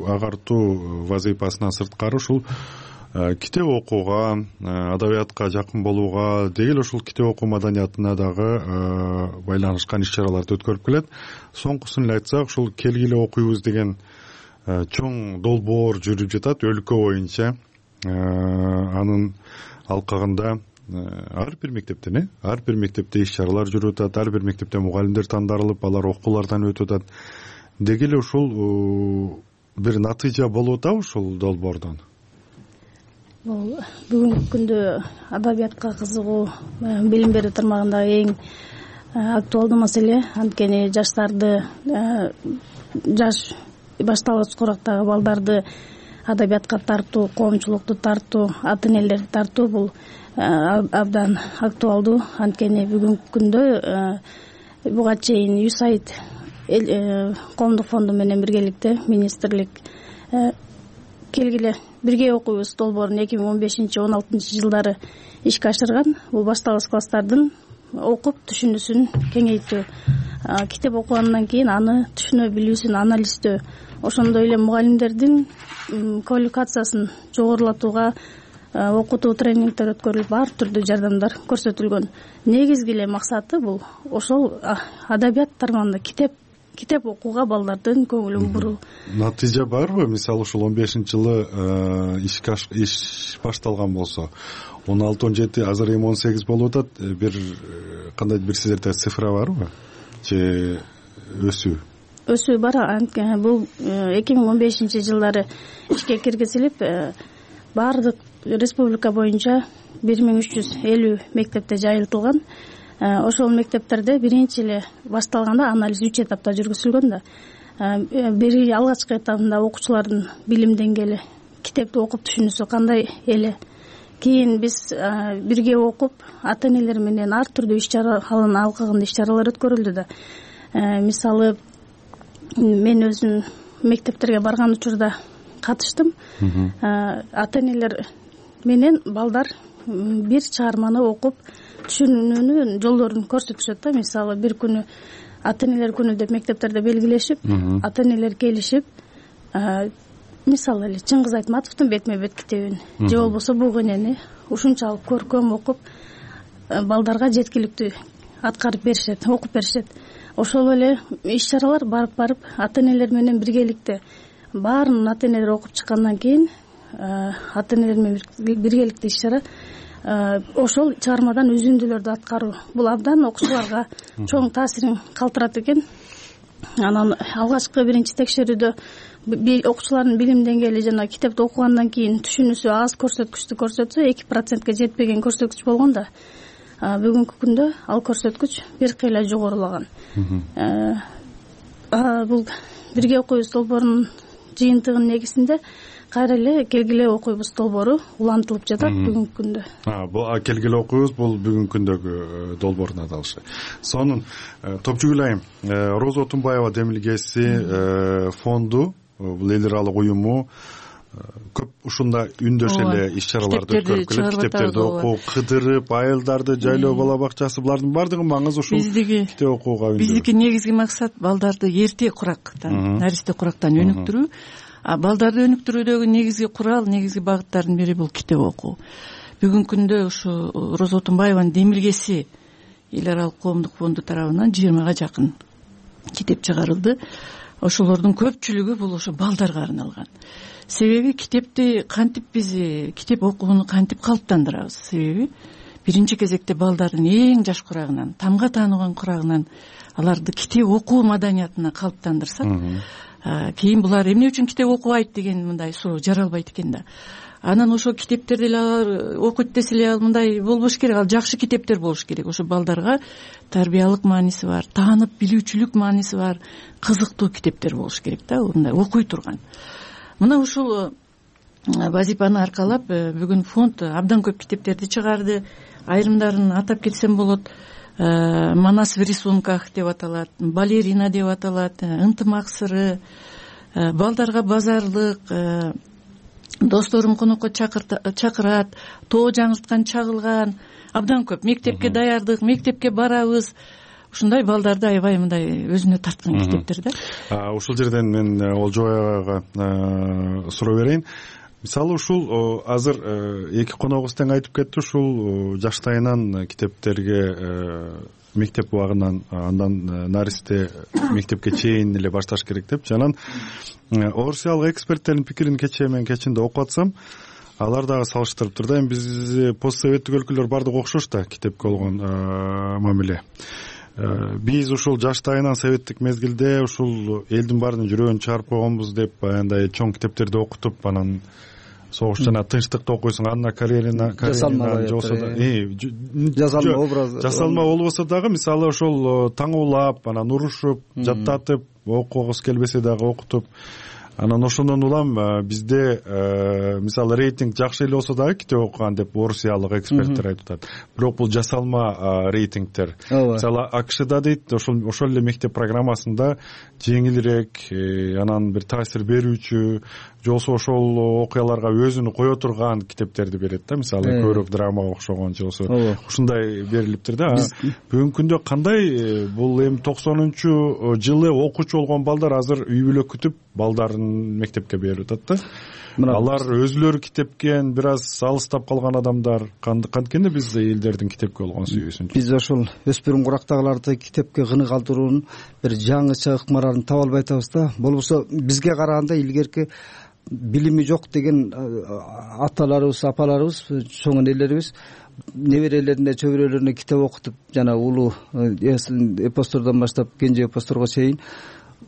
агартуу вазыйфасынан сырткары ушул китеп окууга, адабиятка жакын болууга, деги эле ушул китеп окуу маданиятына дагы байланышкан иш-чараларды өткөрүп келет. Соңкусун эле айтсак, ушул келгиле окуйбуз деген чоң долбоор жүрүп жатат өлкө боюнча. Анын алкагында ар бир мектептен, э, ар бир мектепте иш-чаралар жүрүп атат, ар бир мектепте мугалимдер тандалып, алар окуулардан өтүп атат. Деги эле ушул бир натыйжа болуп атабы ушул долбоордон? Бул бүгүнкү күндө адабиятка кызыгуу билим берүү тармагындагы эң актуалдуу маселе. Анткени жаштарды, жаш башталгыч курактагы балдарды адабиятка тартуу, коомчулукту тартуу, ата энелерди тартуу бул абдан актуалдуу. Анткени бүгүнкү күндө буга чейин юсайт коомдук фонду менен биргеликте министрлик келгиле бирге окуйбуз долбоорун эки миң он бешинчи он алтынчы жылдары ишке ашырган. Бул башталгыч класстардын окуп түшүнүүсүн кеңейтүү, китеп окугандан кийин аны түшүнө билүүсүн анализдөө, ошондой эле мугалимдердин квалификациясын жогорулатууга окутуу тренингдер өткөрүлүп, ар түрдүү жардамдар көрсөтүлгөн. Негизги эле максаты бул ошол адабият тармагында китеп китеп окууга балдардын көңүлүн буруу. Натыйжа барбы? Мисалы ушул он бешинчи жылы ишке иш башталган болсо, он алты он жети, азыр эми он сегиз болуп атат. Бир кандай бир сиздерде цифра барбы? Же өсүү? Өсүү бар. Бул эки миң он бешинчи жылдары ишке киргизилип, баардык республика боюнча бир миң үч жүз элүү мектепте жайылтылган. Ошол мектептерде биринчи эле башталганда анализ үч этапта жүргүзүлгөн да. Бир алгачкы этабында окуучулардын билим деңгээли, китепти окуп түшүнүүсү кандай эле. Кийин биз бирге окуп, ата энелер менен ар түрдүү иш-чара алын алкагында иш-чаралар өткөрүлдү да. Мисалы, мен өзүм мектептерге барган учурда катыштым. Ата энелер менен балдар бир чыгарманы окуп түшүнүүнүн жолдорун көрсөтүшөт да. Мисалы, бир күнү ата энелер күнү деп мектептерде белгилешип, ата энелер келишип, мисалы эле Чыңгыз Айтматовдун Бетме бет китебин же болбосо Буг энени ушунчалык көркөм окуп, балдарга жеткиликтүү аткарып беришет, окуп беришет. Ошол эле иш-чаралар барып-барып ата энелер менен биргеликте баарын ата энелер окуп чыккандан кийин ата энелер менен биргеликте иш-чара ошол чыгармадан үзүндүлөрдү аткаруу. Бул абдан окуучуларга чоң таасирин калтырат экен. Анан алгачкы биринчи текшерүүдө окуучулардын билим деңгээли жана китепти окугандан кийин түшүнүүсү аз көрсөткүчтү көрсөтсө, эки процентке жетпеген көрсөткүч болгон да. Бүгүнкү күндө ал көрсөткүч бир кыйла жогорулаган. Бул бирге окуйбуз долбоорунун жыйынтыгынын негизинде кайра эле келгиле окуйбуз долбоору улантылып жатат бүгүнкү күндө. Бул келгиле окуйбуз бул бүгүнкү күндөгү долбоордун аталышы. Сонун Топчугүл айым, Роза Отунбаева демилгеси фонду, бул эл аралык уюму көп ушунда үндөш эле иш-чараларды өткөрүп келет. Китептерди окуу, кыдырып, айылдарды жайлоо бала бакчасы, булардын баардыгы маңызы ушул китеп окууга үндөө. Биздики негизги максат балдарды эрте курактан, наристе курактан өнүктүрүү. А балдарды өнүктүрүүдөгү негизги курал, негизги багыттардын бири бул китеп окуу. Бүгүнкү күндө ушу Роза Отунбаеванын демилгеси эл аралык коомдук фонду тарабынан жыйырмага жакын китеп чыгарылды. Ошолордун көпчүлүгү бул ошо балдарга арналган. Себеби китепти кантип биз китеп окууну кантип калыптандырабыз? Себеби биринчи кезекте балдардын эң жаш курагынан, тамга таанууган курагынан аларды китеп окуу маданиятына калыптандырсак, кийин булар эмне үчүн китеп окубайт деген мындай суроо жаралбайт экен да. Анан ошо китептерди эле алар окуйт десе эле ал мындай болбош керек, ал жакшы китептер болуш керек, ошо балдарга тарбиялык мааниси бар, таанып билүүчүлүк мааниси бар, кызыктуу китептер болуш керек да, мындай окуй турган. Мына ушул вазифаны аркалап бүгүн фонд абдан көп китептерди чыгарды. Айрымдарын атап кетсем болот. Манас в рисунках деп аталат, балерина деп аталат, ынтымак сыры, балдарга базарлык, досторум конокко чакырат, тоо жаңырткан чагылган, абдан көп. Мектепке даярдык, мектепке барабыз. Ушундай балдарды аябай мындай өзүнө тарткан китептер да. Ушул жерден мен Олжобай агага суроо берейин. Мисалы ушул азыр эки коногубуз тең айтып кетти, ушул жаштайынан китептерге мектеп убагынан андан наристе мектепке чейин эле башташ керек деп. Жанан орусиялык эксперттердин пикирин кечээ мен кечинде окуп атсам, алар дагы салыштырып турду. Эми биз постсоветтик өлкөлөр бардыгы окшош да китепке болгон мамиле. Биз ушул жаштайынан советтик мезгилде ушул элдин баарынын жүрөгүн чыгарып койгонбуз деп баягындай чоң китептерди окутуп, анан согуш жана тынчтыкты окуйсуң, Анна Каренина, Каренина болсо да, жасалма образ, жасалма болбосо дагы мисалы ошол таңуулап, анан урушуп, жаттатып, окугус келбесе дагы окутуп, анан ошондон улам бизде мисалы рейтинг жакшы эле болсо дагы китеп окуган деп орусиялык эксперттер айтып атат. Бирок бул жасалма рейтингтер. Мисалы АКШда дейт, ошол ошол эле мектеп программасында жеңилирээк, анан бир таасир берүүчү, жолсо ошол окуяларга өзүнү кое турган китептерди берет да. Мисалы көбүрөөк драмага окшогон жолсо ушундай берилиптир да. Бүгүнкү күндө кандай бул эми токсонунчу жылы окуучу болгон балдар азыр үй бүлө күтүп балдарын мектепке берип атат да. Алар өзүлөрү китепкен бир аз алыстап калган адамдар. Канткенде биз элдердин китепке болгон сүйүүсүн биз ошол өспүрүм курактагыларды китепке кыны калтыруунун бир жаңыча ыкмаларын таба албай атабыз да. Болбосо бизге караганда илгерки билими жок деген аталарыбыз, апаларыбыз, чоң энелерибиз неберелерине, чөбүрөлөрүнө китеп окутуп, жана улуу эпостордон баштап кенже эпосторго чейин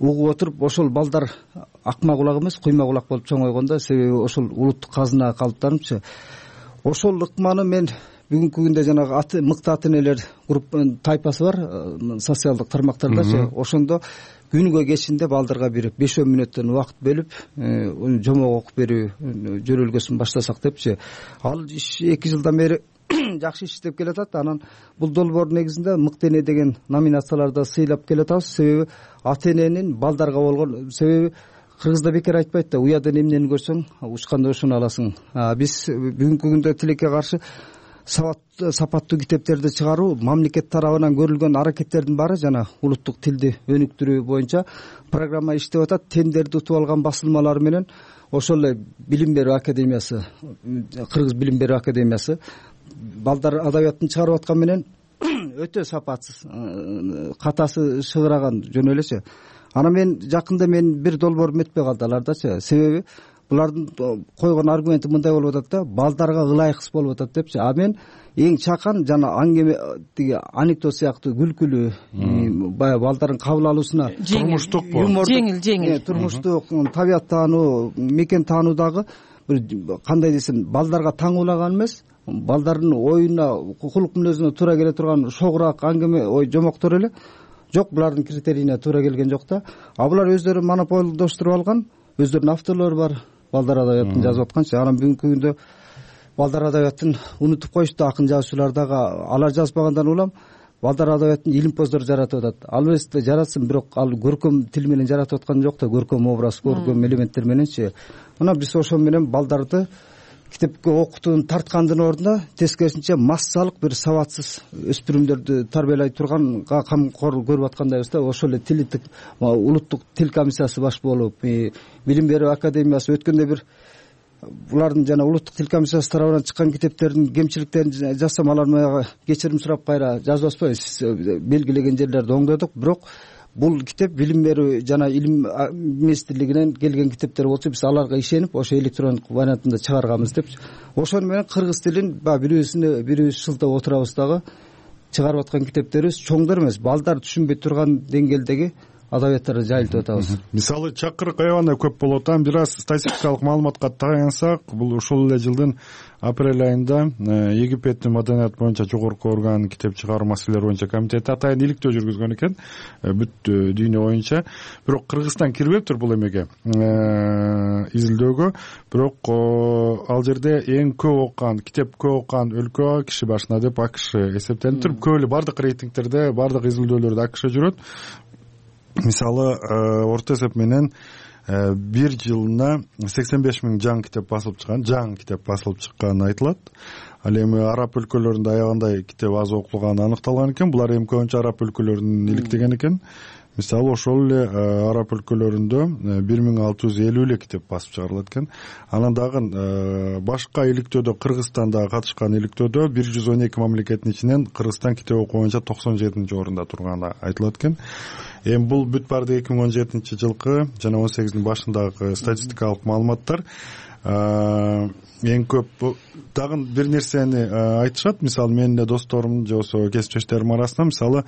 угуп отуруп, ошол балдар акма кулак эмес, куйма кулак болуп чоңойгон да. Себеби ошол улуттук казына калыптарынчы. Ошол ыкманы мен бүгүнкү күндө жанагы аты мыкты ата энелер групп тайпасы бар социалдык тармактардачы, ошондо күнүгө кечинде балдарга бир беш он мүнөттөн убакыт бөлүп жомок окуп берүү жөрөлгөсүн баштасак депчи. Ал иш эки жылдан бери жакшы иштеп келатат. Анан бул долбоор негизинде мыкты эне деген номинацияларда сыйлап келатабыз. Себеби ата эненин балдарга болгон, себеби кыргызда бекер айтпайт да, уядан эмнени көрсөң учканда ошону аласың. Биз бүгүнкү күндө тилекке каршы сапаттуу китептерди чыгаруу мамлекет тарабынан көрүлгөн аракеттердин баары жана улуттук тилди өнүктүрүү боюнча программа иштеп атат. Тендерди утуп алган басылмалар менен ошол эле билим берүү академиясы, Кыргыз билим берүү академиясы балдар адабиятын чыгарып аткан менен өтө сапатсыз, катасы шыгыраган жөн элечи. Анан мен жакында мен бир долбоор метпей калды алардачы. Себеби булардын койгон аргументи мындай болуп атат да, балдарга ылайыксыз болуп атат депчи. А мен эң чакан жана аңгеме тиги анекдот сыяктуу күлкүлүү, баягы балдардын кабыл алуусуна турмуштук, жеңил жеңил турмуштук, табият таануу, мекен таануудагы бир кандай десем, балдарга таңуулаган эмес, балдардын оюна, кулук мүнөзүнө туура келе турган шогураак аңгеме, ой жомоктор эле жок, булардын критерийине туура келген жок да. А булар өздөрү монополдоштуруп алган, өздөрүнүн авторлору бар, балдар адабиятын жазып атканчы. Анан бүгүнкү күндө балдар адабиятын унутуп коюшту, акын жазуучулар дагы алар жазбагандан улам балдар адабиятын илимпоздор жаратып атат. Албетте жаратсын, бирок ал көркөм тил менен жаратып аткан жок да, көркөм образ, көркөм элементтер мененчи. Мына биз ошол менен балдарды китепке окутууну тарткандын ордуна тескерисинче массалык бир сабатсыз өспүрүмдөрдү тарбиялай турганга камкор көрүп аткандайбыз да. Ошол эле тилдик улуттук тил комиссиясы баш болуп, билим берүү академиясы өткөндө бир булардын жана улуттук тил комиссиясы тарабынан чыккан китептердин кемчиликтерин жазсам, алар мага кечирим сурап кайра жазып атпайбы, сиз белгилеген жерлерди оңдодук. Бирок бул китеп билим берүү жана илим министрлигинен келген китептер болчу, биз аларга ишенип ошо электрондук вариантында чыгарганбыз деп. Ошону менен кыргыз тилин баягы бирөөсүнө бирөөбүз шылтап отурабыз дагы. Чыгарып аткан китептерибиз чоңдор эмес, балдар түшүнбөй турган деңгээлдеги адабияттарды жайылтып атабыз. Мисалы чакырык аябагында көп болуп атат. Бир аз статистикалык маалыматка таянсак, бул ушул эле жылдын апрель айында Египеттин маданият боюнча жогорку орган китеп чыгаруу маселелери боюнча комитети атайын иликтөө жүргүзгөн экен бүт дүйнө боюнча. Бирок Кыргызстан кирбептир бул эмеге, изилдөөгө. Бирок ал жерде эң көп окуган, китеп көп окуган өлкө киши башына деп АКШ эсептелип туруп, көп эле бардык рейтингтерде, бардык изилдөөлөрдө АКШ жүрөт. Мисалы орто эсеп менен бир жылына сексен беш миң жаңы китеп басылып чыккан, жаңы китеп басылып чыкканы айтылат. Ал эми араб өлкөлөрүндө аябагандай китеп аз окулганы аныкталган экен. Булар эми көбүнчө араб өлкөлөрүн иликтеген экен. Мисалы ошол эле араб өлкөлөрүндө бир миң алты жүз элүү эле китеп басып чыгарылат экен. Анан дагы башка иликтөөдө, Кыргызстанда катышкан иликтөөдө бир жүз он эки мамлекеттин ичинен Кыргызстан китеп окуу боюнча токсон жетинчи орунда турганы айтылат экен. Эми бул бүт барды эки миң он жетинчи жылкы жана он сегиздин башындагы статистикалык маалыматтар. Эң көп дагы бир нерсени айтышат. Мисалы менин эле досторум же болбосо кесиптештерим арасында, мисалы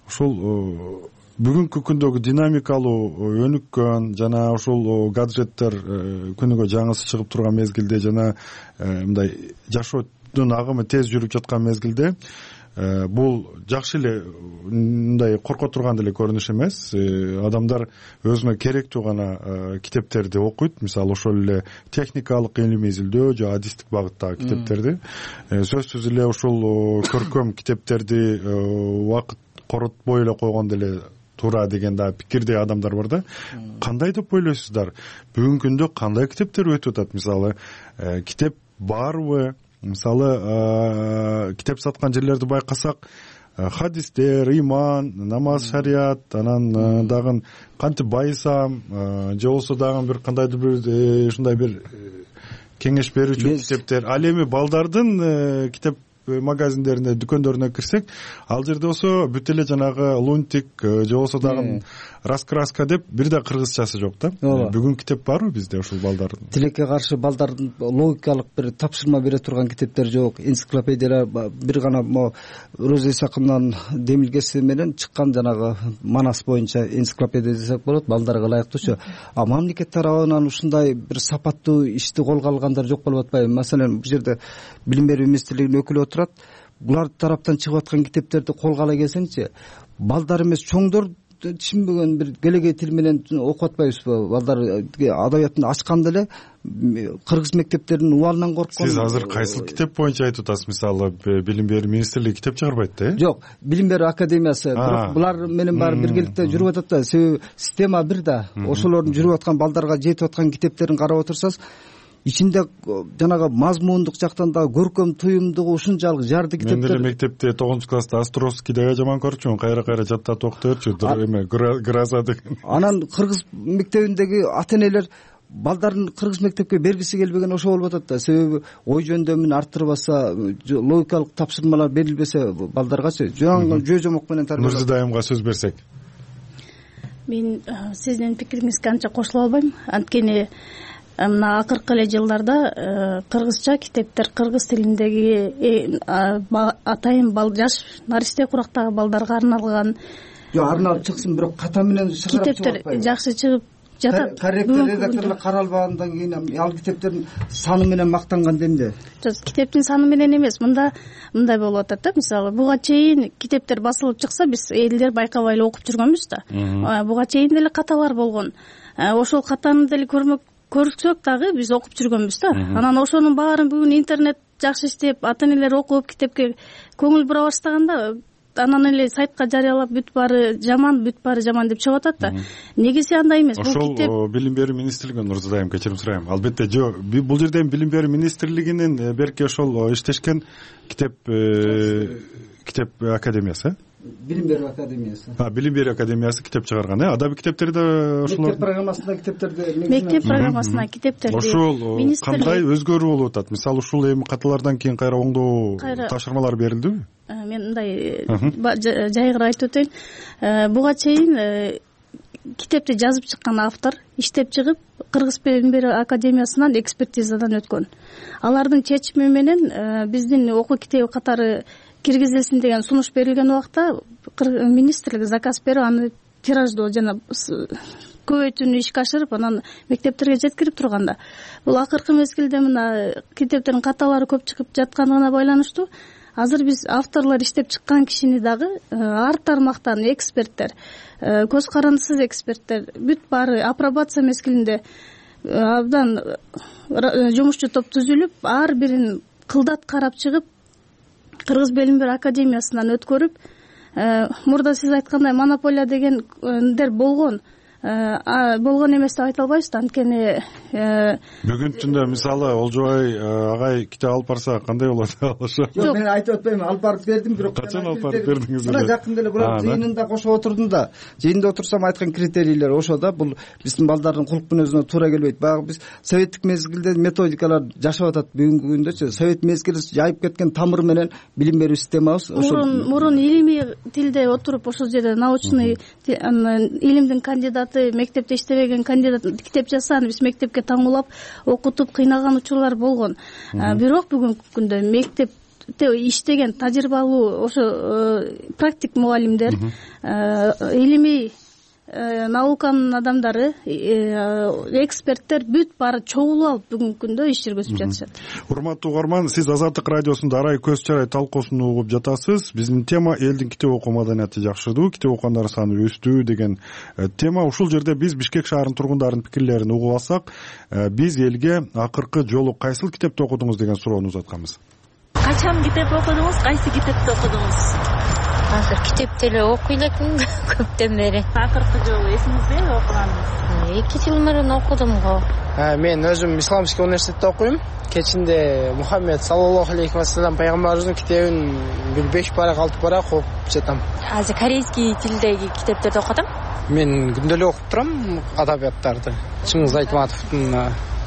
ушул бүгүнкү күндөгү динамикалуу өнүккөн жана ушул гаджеттер күнүгө жаңысы чыгып турган мезгилде жана мындай жашоодун агымы тез жүрүп жаткан мезгилде бул жакшы эле мындай корко турган деле көрүнүш эмес. Адамдар өзүнө керектүү гана китептерди окуйт. Мисалы ошол эле техникалык илимий изилдөө же адистик багыттагы китептерди. Сөзсүз эле ушул көркөм китептерди убакыт коротпой эле койгон деле туура деген да пикирде адамдар бар да. Кандай деп ойлойсуздар? Бүгүнкү күндө кандай китептер өтүп атат? Мисалы китеп барбы? Мисалы китеп саткан жерлерди байкасак, хадистер, иман, намаз, шарият, анан дагы кантип байысам, же болсо дагы бир кандайдыр бир ушундай бир кеңеш берүүчү китептер. Ал эми балдардын китеп магазиндерине, дүкөндөрүнө кирсек, ал жерде болсо бүт эле жанагы лунтик же болсо дагы раскраска деп бир да кыргызчасы жок да. Бүгүн китеп барбы бизде ушул балдардын? Тилекке каршы балдардын логикалык бир тапшырма бере турган китептер жок. Энциклопедиялар бир гана могу Роза Исакымдын демилгеси менен чыккан жанагы Манас боюнча энциклопедия десек болот, балдарга ылайыктуучу. А мамлекет тарабынан ушундай бир сапаттуу ишти колго алгандар жок болуп атпайбы? Маселен, бул жерде билим берүү министрлигинин өкүлү турат. Булар тараптан чыгып аткан китептерди колго ала келсеңчи, балдар эмес чоңдор түшүнбөгөн бир келегей тил менен окуп атпайбызбы? Балдар адабиятын ачканда эле кыргыз мектептеринин убалынан корккон. Сиз азыр кайсыл китеп боюнча айтып атасыз? Мисалы билим берүү министрлиги китеп чыгарбайт да? Жок, билим берүү академиясы. Бирок булар менен баары биргеликте жүрүп атат да. Себеби система бир да. Ошолордун жүрүп аткан балдарга жетип аткан китептерин карап отурсаңыз, ичинде жанагы мазмундук жактан да көркөм туюмдугу ушунчалык жарды китептер. Мен деле мектепте тогузунчу класста Островскийди аябай жаман көрчүмүн. Кайра-кайра жаттатып окута берчү. Эме гроза деген. Анан кыргыз мектебиндеги ата-энелер балдарын кыргыз мектепке бергиси келбеген ошо болуп атат да. Себеби ой жөндөмүн арттырбаса, логикалык тапшырмалар берилбесе балдаргачы жөө жомок менен тарбиялап. Нурзидайымга сөз берсек. Мен сиздин пикириңизге анча кошуло албайм. Анткени мына акыркы эле жылдарда кыргызча китептер, кыргыз тилиндеги атайын жаш наристе курактагы балдарга арналган арналып чыксын, бирок ката менен чыгарып китептер жакшы чыгып жатат. Корректор редакторлор каралбагандан кийин ал китептердин саны менен мактанган демде. Жок, китептин саны менен эмес. Мында мындай болуп атат да. Мисалы, буга чейин китептер басылып чыкса, биз элдер байкабай эле окуп жүргөнбүз да. Буга чейин деле каталар болгон. Ошол катаны деле көрмөк көрсөк дагы биз окуп жүргөнбүз да. Анан ошонун баарын бүгүн интернет жакшы иштеп, ата-энелер окуп китепке көңүл бура баштаганда, анан эле сайтка жарыялап бүт баары жаман, бүт баары жаман деп чыгып атат да. Негизи андай эмес. Бул китеп ошол билим берүү министрлигинен Нурзадайым кечирим сурайм. Албетте жок, бул жерде билим берүү министрлигинин берки ошол иштешкен китеп китеп академиясы. Билим берүү академиясы. А, билим берүү академиясы китеп чыгарган, э? Адабий китептерди ошолор мектеп программасында китептерди мектеп программасына китептерди ошол кандай өзгөрүү болуп атат? Мисалы, ушул эми каталардан кийин кайра оңдоо тапшырмалар берилдиби? Мен мындай жайгыра айтып өтөйүн. Буга чейин китепти жазып чыккан автор иштеп чыгып Кыргыз билим берүү академиясынан экспертизадан өткөн. Алардын чечими менен биздин окуу китеби катары киргизилсин деген сунуш берилген убакта министрлик заказ берип аны тираждоо жана көбөйтүүнү ишке ашырып анан мектептерге жеткирип турганда бул акыркы мезгилде мына китептердин каталары көп чыгып жаткандыгына байланыштуу азыр биз авторлор иштеп чыккан кишини дагы ар тармактан эксперттер, көз карандысыз эксперттер бүт баары апробация мезгилинде абдан жумушчу топ түзүлүп ар бирин кылдат карап чыгып Кыргыз Белим берүү академиясынан өткөрүп, мурда сиз айткандай монополия дегендер болгон болгон эмес деп айта албайбыз да, анткени бүгүнкү күндө мисалы Олжобай агай китеп алып барса кандай болот? Жок, мен айтып атпайм, алып барып бердим, бирок качан алып барып бердиңиз? Мына жакында эле бирок жыйынында кошуп отурдум да. Жыйында отурсам айткан критерийлер ошо да, бул биздин балдардын кулк мүнөзүнө туура келбейт. Баягы биз советтик мезгилде методикалар жашап атат, бүгүнкү күндөчү совет мезгили жайып кеткен тамыр менен билим берүү системабыз мурун мурун илимий тилде отуруп ошол жерде научный илимдин кандидаты, мектепте иштебеген кандидат китеп жазсаны биз мектепке таңуулап окутуп кыйнаган учурлар болгон. Бирок бүгүнкү күндө мектепте иштеген тажрыйбалуу ошо практик мугалимдер, илимий науканын адамдары, эксперттер бүт баары чогулуп алып бүгүнкү күндө иш жүргүзүп жатышат. Урматтуу угарман, сиз Азаттык радиосунда арай көз чарай талкуусун угуп жатасыз. Биздин тема элдин китеп окуу маданияты жакшырдуу, китеп окугандар саны өстү деген тема. Ушул жерде биз Бишкек шаарынын тургундарынын пикирлерин угуп алсак, биз элге акыркы жолу кайсыл китепти окудуңуз деген суроону узатканбыз. Качан китеп окудуңуз, кайсы китепти окудуңуз? Азыр китепти эле окуй элекмин көптөн бери. Акыркы жолу эсиңизде окуганыңыз? эки жыл мурун окудум го. Мен өзүм Исламский университетте окуйм. Кечинде Мухаммед саллаллаху алейхи вассалам пайгамбарыбыздын китебин бир беш барак алты барак окуп жатам. Азыр корейский тилдеги китептерди окудум. Мен күндө эле окуп турам адабияттарды. Чыңгыз Айтматовдун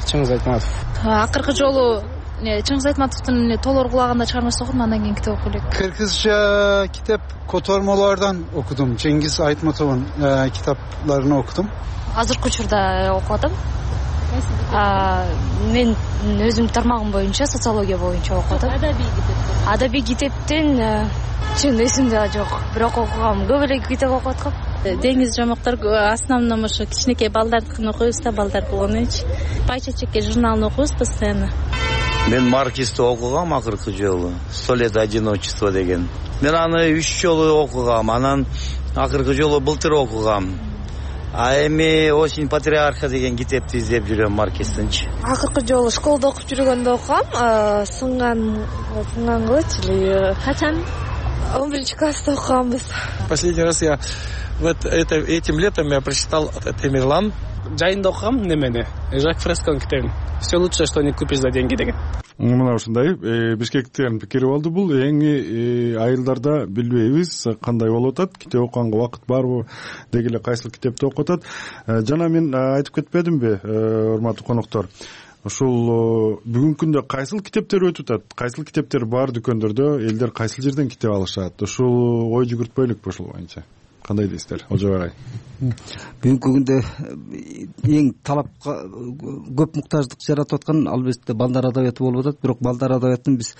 Чыңгыз Айтматов. Акыркы жолу Чыңгыз Айтматовдун толор кулаганда чыгармасын окудум, андан кийин китеп окуй элек. Кыргызча китеп котормолордон окудум. Чеңгиз Айтматовдун китаптарын окудум. Азыркы учурда окуп атам. Мен өзүм тармагым боюнча социология боюнча окуп атам. Адабий китеп. Адабий китептин чын эсимде жок, бирок окугам. Көп эле китеп окуп аткам. Деңиз жомоктор основном ошо кичинекей балдардыкын окуйбуз да, балдар болгону үчүн. Пайчачекке журналын окуйбуз постоянно. Мен Марксти окугам акыркы жолу. Сто лет одиночества деген. Мен аны үч жолу окугам, анан акыркы жолу былтыр окугам. А эми Осень патриарха деген китепти издеп жүрөм Маркстинчи. Акыркы жолу школда окуп жүргөндө окугам, сынган сынгангычы эле. Качан? он биринчи класста окуганбыз. Последний раз я вот это этим летом я прочитал Тамерлан. Жайында окугам немени? Жак Фресконун китебин. Все лучшее, что не купишь за деньги деген. Мына ушундай Бишкектин пикири болду. Бул эң айылдарда билбейбиз кандай болуп атат, китеп окуганга убакыт барбы, деги эле кайсыл китепти окуп атат. Жана мен айтып кетпедимби, урматтуу коноктор? Ушул бүгүнкү күндө кайсыл китептер өтүп атат, кайсыл китептер бар дүкөндөрдө, элдер кайсыл жерден китеп алышат? Ушул ой жүгүртпөйлүкпү ушул боюнча? Кандай дейсиздер, Олжобай? Бүгүнкү күндө эң талапка көп муктаждык жаратып аткан албетте балдар адабияты болуп атат, бирок балдар адабиятын биз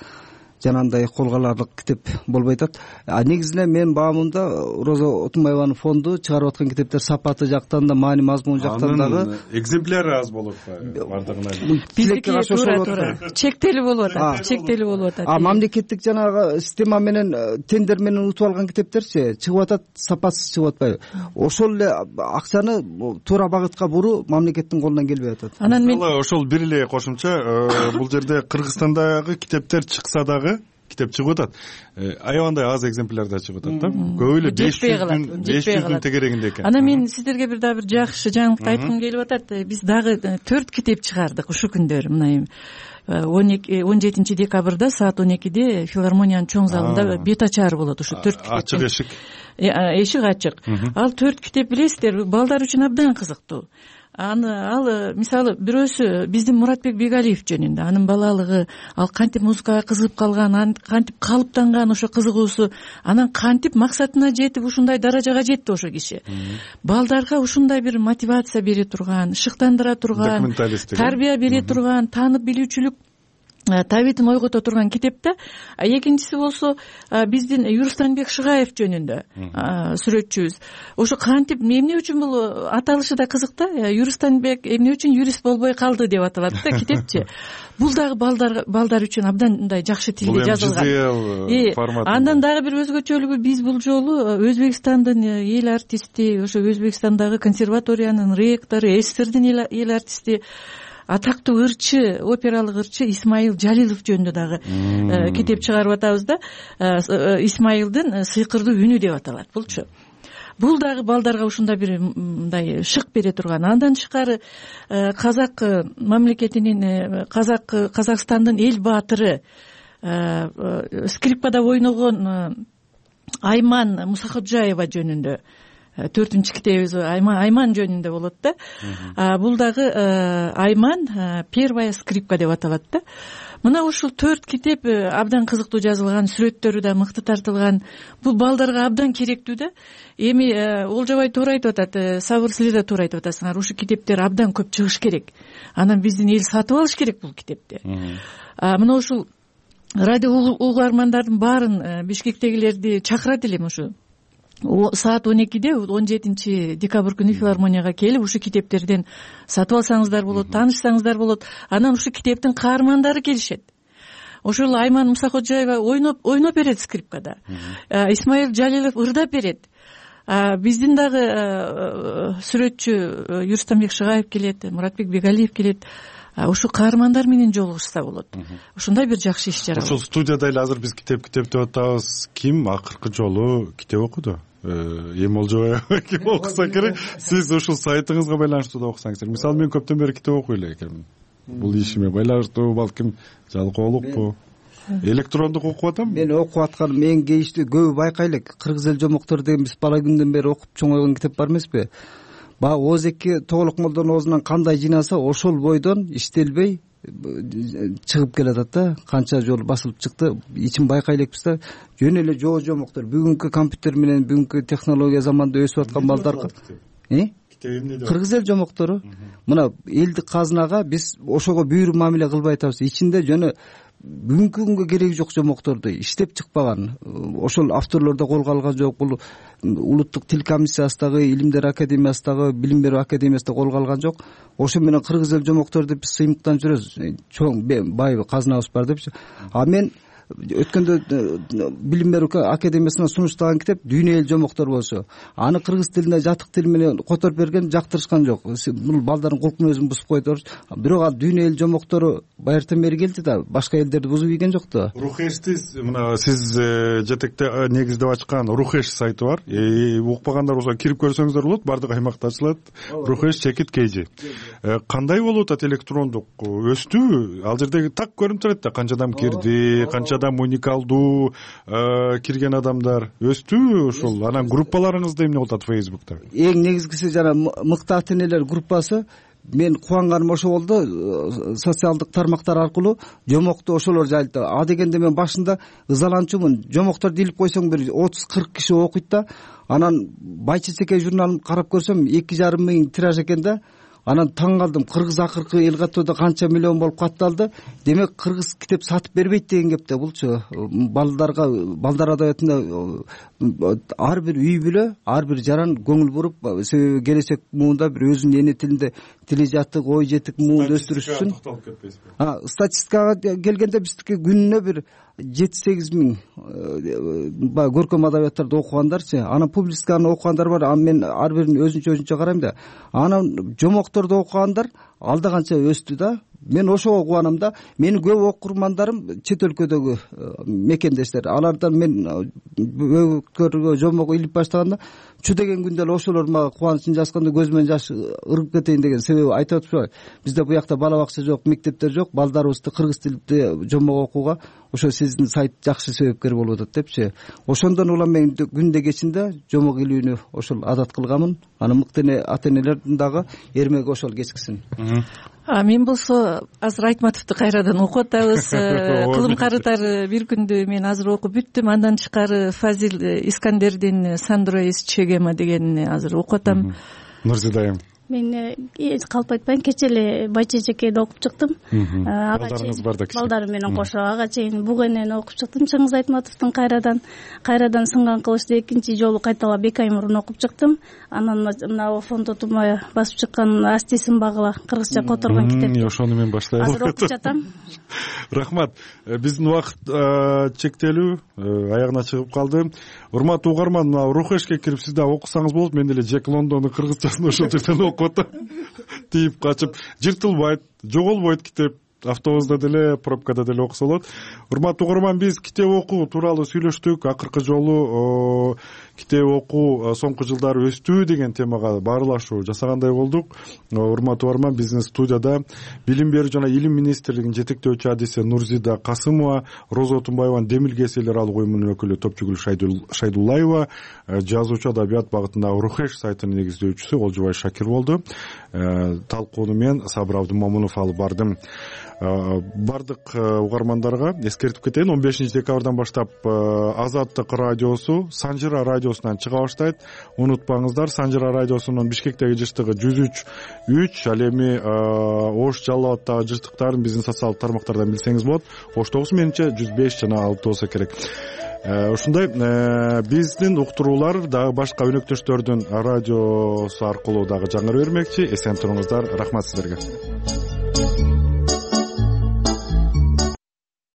жанагындай колго аларлык китеп болбой атат. А негизинен менин баамымда Роза Отунбаеванын фонду чыгарып аткан китептер сапаты жактан да, маани мазмун жактан дагы экземпляри аз болуп атпайбы бардыгына? Биздики туура туура чектелүү болуп атат, чектелүү болуп атат. А мамлекеттик жанагы система менен тендер менен утуп алган китептерчи чыгып атат, сапасыз чыгып атпайбы? Ошол эле акчаны туура багытка буруу мамлекеттин колунан келбей атат. Анан мен ошол бир эле кошумча, бул жерде Кыргызстандагы китептер чыкса дагы китеп чыгып атат. Аябандай аз экземплярда чыгып атат да. Көп эле беш жүздүн беш жүздүн тегерегинде экен. Анан мен сиздерге бир дагы бир жакшы жаңылыкты айткым келип атат. Биз дагы төрт китеп чыгардык ушул күндөр. Мына он эки он жетинчи декабрда саат он экиде филармониянын чоң залында бет ачары болот ушу төрт китеп. Ачык эшик. Эшик ачык. Ал төрт китеп билесиздер, балдар үчүн абдан кызыктуу. Аны ал мисалы бирөөсү биздин Муратбек Бегалиев жөнүндө, анын балалыгы, ал кантип музыкага кызыгып калган, кантип калыптанган ошо кызыгуусу, анан кантип максатына жетип ушундай даражага жетти ошо киши. Балдарга ушундай бир мотивация бере турган, шыктандыра турган, тарбия бере турган, таанып билүүчүлүк табитин ойгото турган китеп да. Экинчиси болсо биздин Юрустанбек Шыгаев жөнүндө сүрөтчүбүз. Ошо кантип эмне үчүн бул аталышы да кызык да. Юрустанбек эмне үчүн юрист болбой калды деп аталат да китепчи. Бул дагы балдар балдар үчүн абдан мындай жакшы тилде жазылган. Андан дагы бир өзгөчөлүгү, биз бул жолу Өзбекстандын эл артисти, ошо Өзбекстандагы консерваториянын ректору, СССРдин эл артисти, атактуу ырчы, опералык ырчы Исмаил Жалилов жөнүндө дагы китеп чыгарып атабыз да. Исмаилдин сыйкырдуу үнү деп аталат булчу. Бул дагы балдарга ушундай бир мындай шык бере турган. Андан тышкары казак мамлекетинин, казак Казакстандын эл баатыры, скрипкада ойногон Айман Мусаходжаева жөнүндө төртүнчү китебибиз Айман жөнүндө болот да. Бул дагы Айман первая скрипка деп аталат да. Мына ушул төрт китеп абдан кызыктуу жазылган, сүрөттөрү да мыкты тартылган. Бул балдарга абдан керектүү да. Эми Олжобай туура айтып атат, Сабыр силер да туура айтып атасыңар. Ушул китептер абдан көп чыгыш керек. Анан биздин эл сатып алыш керек бул китепти. Мына ушул радио угармандардын баарын, Бишкектегилерди чакырат элем ушу саат он экиде он жетинчи декабрь күнү филармонияга келип ушу китептерден сатып алсаңыздар болот, таанышсаңыздар болот. Анан ушу китептин каармандары келишет. Ошол Айман Мусаходжаева ойноп ойноп берет скрипкада. Исмаил Жалилов ырдап берет. Биздин дагы сүрөтчү Юрустанбек Шыгаев келет, Муратбек Бегалиев келет. Ушу каармандар менен жолугушса болот. Ушундай бир жакшы иш чара. Ушул студияда эле азыр биз китеп китеп деп атабыз. Ким акыркы жолу китеп окуду? Эми Олжобай ким окуса керек? Сиз ушул сайтыңызга байланыштуу да окусаңыздар. Мисалы мен көптөн бери китеп окуй эле экенмин. Бул ишиме байланыштуу, балким жалкоолукпу? Электрондук окуп атам. Мен окуп атканым эң кейиштүү, көбү байкай элек. Кыргыз эл жомоктор деген биз бала күндөн бери окуп чоңойгон китеп бар эмеспи? Баягы Оозеки Тоголокмолдон оозунан кандай жыйнаса, ошол бойдон иштелбей чыгып келатат да. Канча жолу басылып чыкты, ичин байкай элекпиз да. Жөн эле жоо жомоктор. Бүгүнкү компьютер менен, бүгүнкү технология заманда өсүп аткан балдарга э Кыргыз эл жомоктору мына элдик казынага биз ошого бүйүр мамиле кылбай атабыз. Ичинде жөнө бүгүнкү күнгө кереги жок жомокторду иштеп чыкпаган, ошол авторлордо колго алган жок. Бул улуттук тил комиссиясындагы, илимдер академиясындагы, билим берүү академиясында колго алган жок. Ошо менен кыргыз эл жомокторду биз сыймыктан жүрөбүз. Чоң бай казынабыз бар депчи. А мен өткөндө билим берүү академиясынан сунуштаган китеп Дүйнө эл жомоктор болсо, аны кыргыз тилине жатык тил менен которуп берген, жактырышкан жок. Бул балдардын кулк мүнөзүн бузуп койду. Бирок ал Дүйнө эл жомоктору байыртан бери келди да, башка элдерди бузуп ийген жок да. Рухештиз мына сиз жетекте негиздеп ачкан Рухеш сайты бар. Укпагандар болсо кирип көрсөңүздөр болот, бардык аймакта ачылат. Рухеш чекит кейжи. Кандай болуп атат электрондук? Өстү? Ал жердеги так көрүнүп турат да, канча адам кирди, канча адам уникалдуу кирген адамдар өстү ушул. Анан группаларыңызда эмне болуп атат Facebook'та? Эң негизгиси жана мыкты ата-энелер группасы. Мен кубанганым ошо болду. Социалдык тармактар аркылуу жомокту ошолор жайлады. А дегенде мен башында ызаланчумун. Жомокторду илип койсоң бир отуз кырк киши окуйт да. Анан Байчечеке журналын карап көрсөм эки жарым миң тираж экен да. Анан таң калдым. Кыргыз акыркы эл каттоодо канча миллион болуп катталды. Демек кыргыз китеп сатып бербейт деген кеп да булчу. Балдарга, балдар адабиятында ар бир үй бүлө, ар бир жаран көңүл буруп, себеби келечек муунда бир өзүнүн эне тилинде тили жатык, ой жетик муун өстүрүш үчүн. А, статистикага келгенде биздики күнүнө бир жети сегиз миң баягы көркөм адабияттарды окугандарчы. Анан публистиканы окугандар бар. Анан мен ар бирин өзүнчө өзүнчө карайм да. Анан жомокторду окугандар алда канча өстү да. Мен ошого кубанам да. Менин көп окурмандарым чет өлкөдөгү мекендештер. Алардан мен бөгөткөргө жомок илип баштаганда чу деген күндө эле ошолор мага кубанычын жазганда көзүмөн жаш ыргып кетейин деген себеби айтып атышпайбы? Бизде буякта бала бакча жок, мектептер жок. Балдарыбызды кыргыз тилинде жомок окууга ошо сиздин сайт жакшы себепкер болуп атат депчи. Ошондон улам мен күндө кечинде жомок илүүнү ошол адат кылганмын. Анан мыкты ата-энелердин дагы эрмеги ошол кечкисин. А мен болсо азыр Айтматовду кайрадан окуп атабыз. Кылым карытар бир күндү мен азыр окуп бүттүм. Андан тышкары Фазил Искандердин Сандро из Чегема дегенин азыр окуп атам. Нурзидайым. мен калп айтпайын, кечээ эле Байча эжекейде окуп чыктым. Балдарыңыз бар да кичи. Балдарым менен кошо ага чейин Бугенени окуп чыктым. Чыңгыз Айтматовдун кайрадан кайрадан сынган кылычты экинчи жолу кайталап эки ай мурун окуп чыктым. Анан мына фондо тумай басып чыккан Асти сынбагыла кыргызча которгон китеп. Ошону мен баштайм. Азыр окуп жатам. Рахмат. Биздин убакыт чектелүү, аягына чыгып калды. Урматтуу угарман, Рухешке кирип сиз да окусаңыз болот. Мен деле Джек Лондондун кыргызчасын ошол жерден окуп атам. Тийип качып, жыртылбайт, жоголбойт китеп. Автобуста деле, пробкада деле окуса болот. Урматтуу угарман, биз китеп окуу тууралуу сүйлөштүк. Акыркы жолу китеп окуу соңку жылдары өстү деген темага баарлашуу жасагандай болдук. Урматтуу угарман, биздин студияда Билим берүү жана Илим министрлигинин жетектөөчү адиси Нурзида Касымова, Роза Отунбаеванын Демилгес эл аралык уюмунун өкүлү Топчугүл Шайдуллаева, жазуучу адабият багытындагы Рухеш сайтынын негиздөөчүсү Олжубай Шакир болду. Талкууну мен Сабыр Абдымомунов алып бардым. Бардык угармандарга эскертип кетейин, он бешинчи декабрдан баштап Азаттык радиосу Санжыра радиосунан чыга баштайт. Унутпаңыздар, Санжыра радиосунун Бишкектеги жыштыгы жүз үч үч, ал эми Ош Жалал Абадтагы жыштыктарын биздин социалдык тармактардан билсеңиз болот. Оштогусу менимче жүз беш жана алты болсо керек. Ушундай биздин уктуруулар дагы башка өнөктөштөрдүн радиосу аркылуу дагы жаңыры бермекчи. Эсен туруңуздар. Рахмат сиздерге.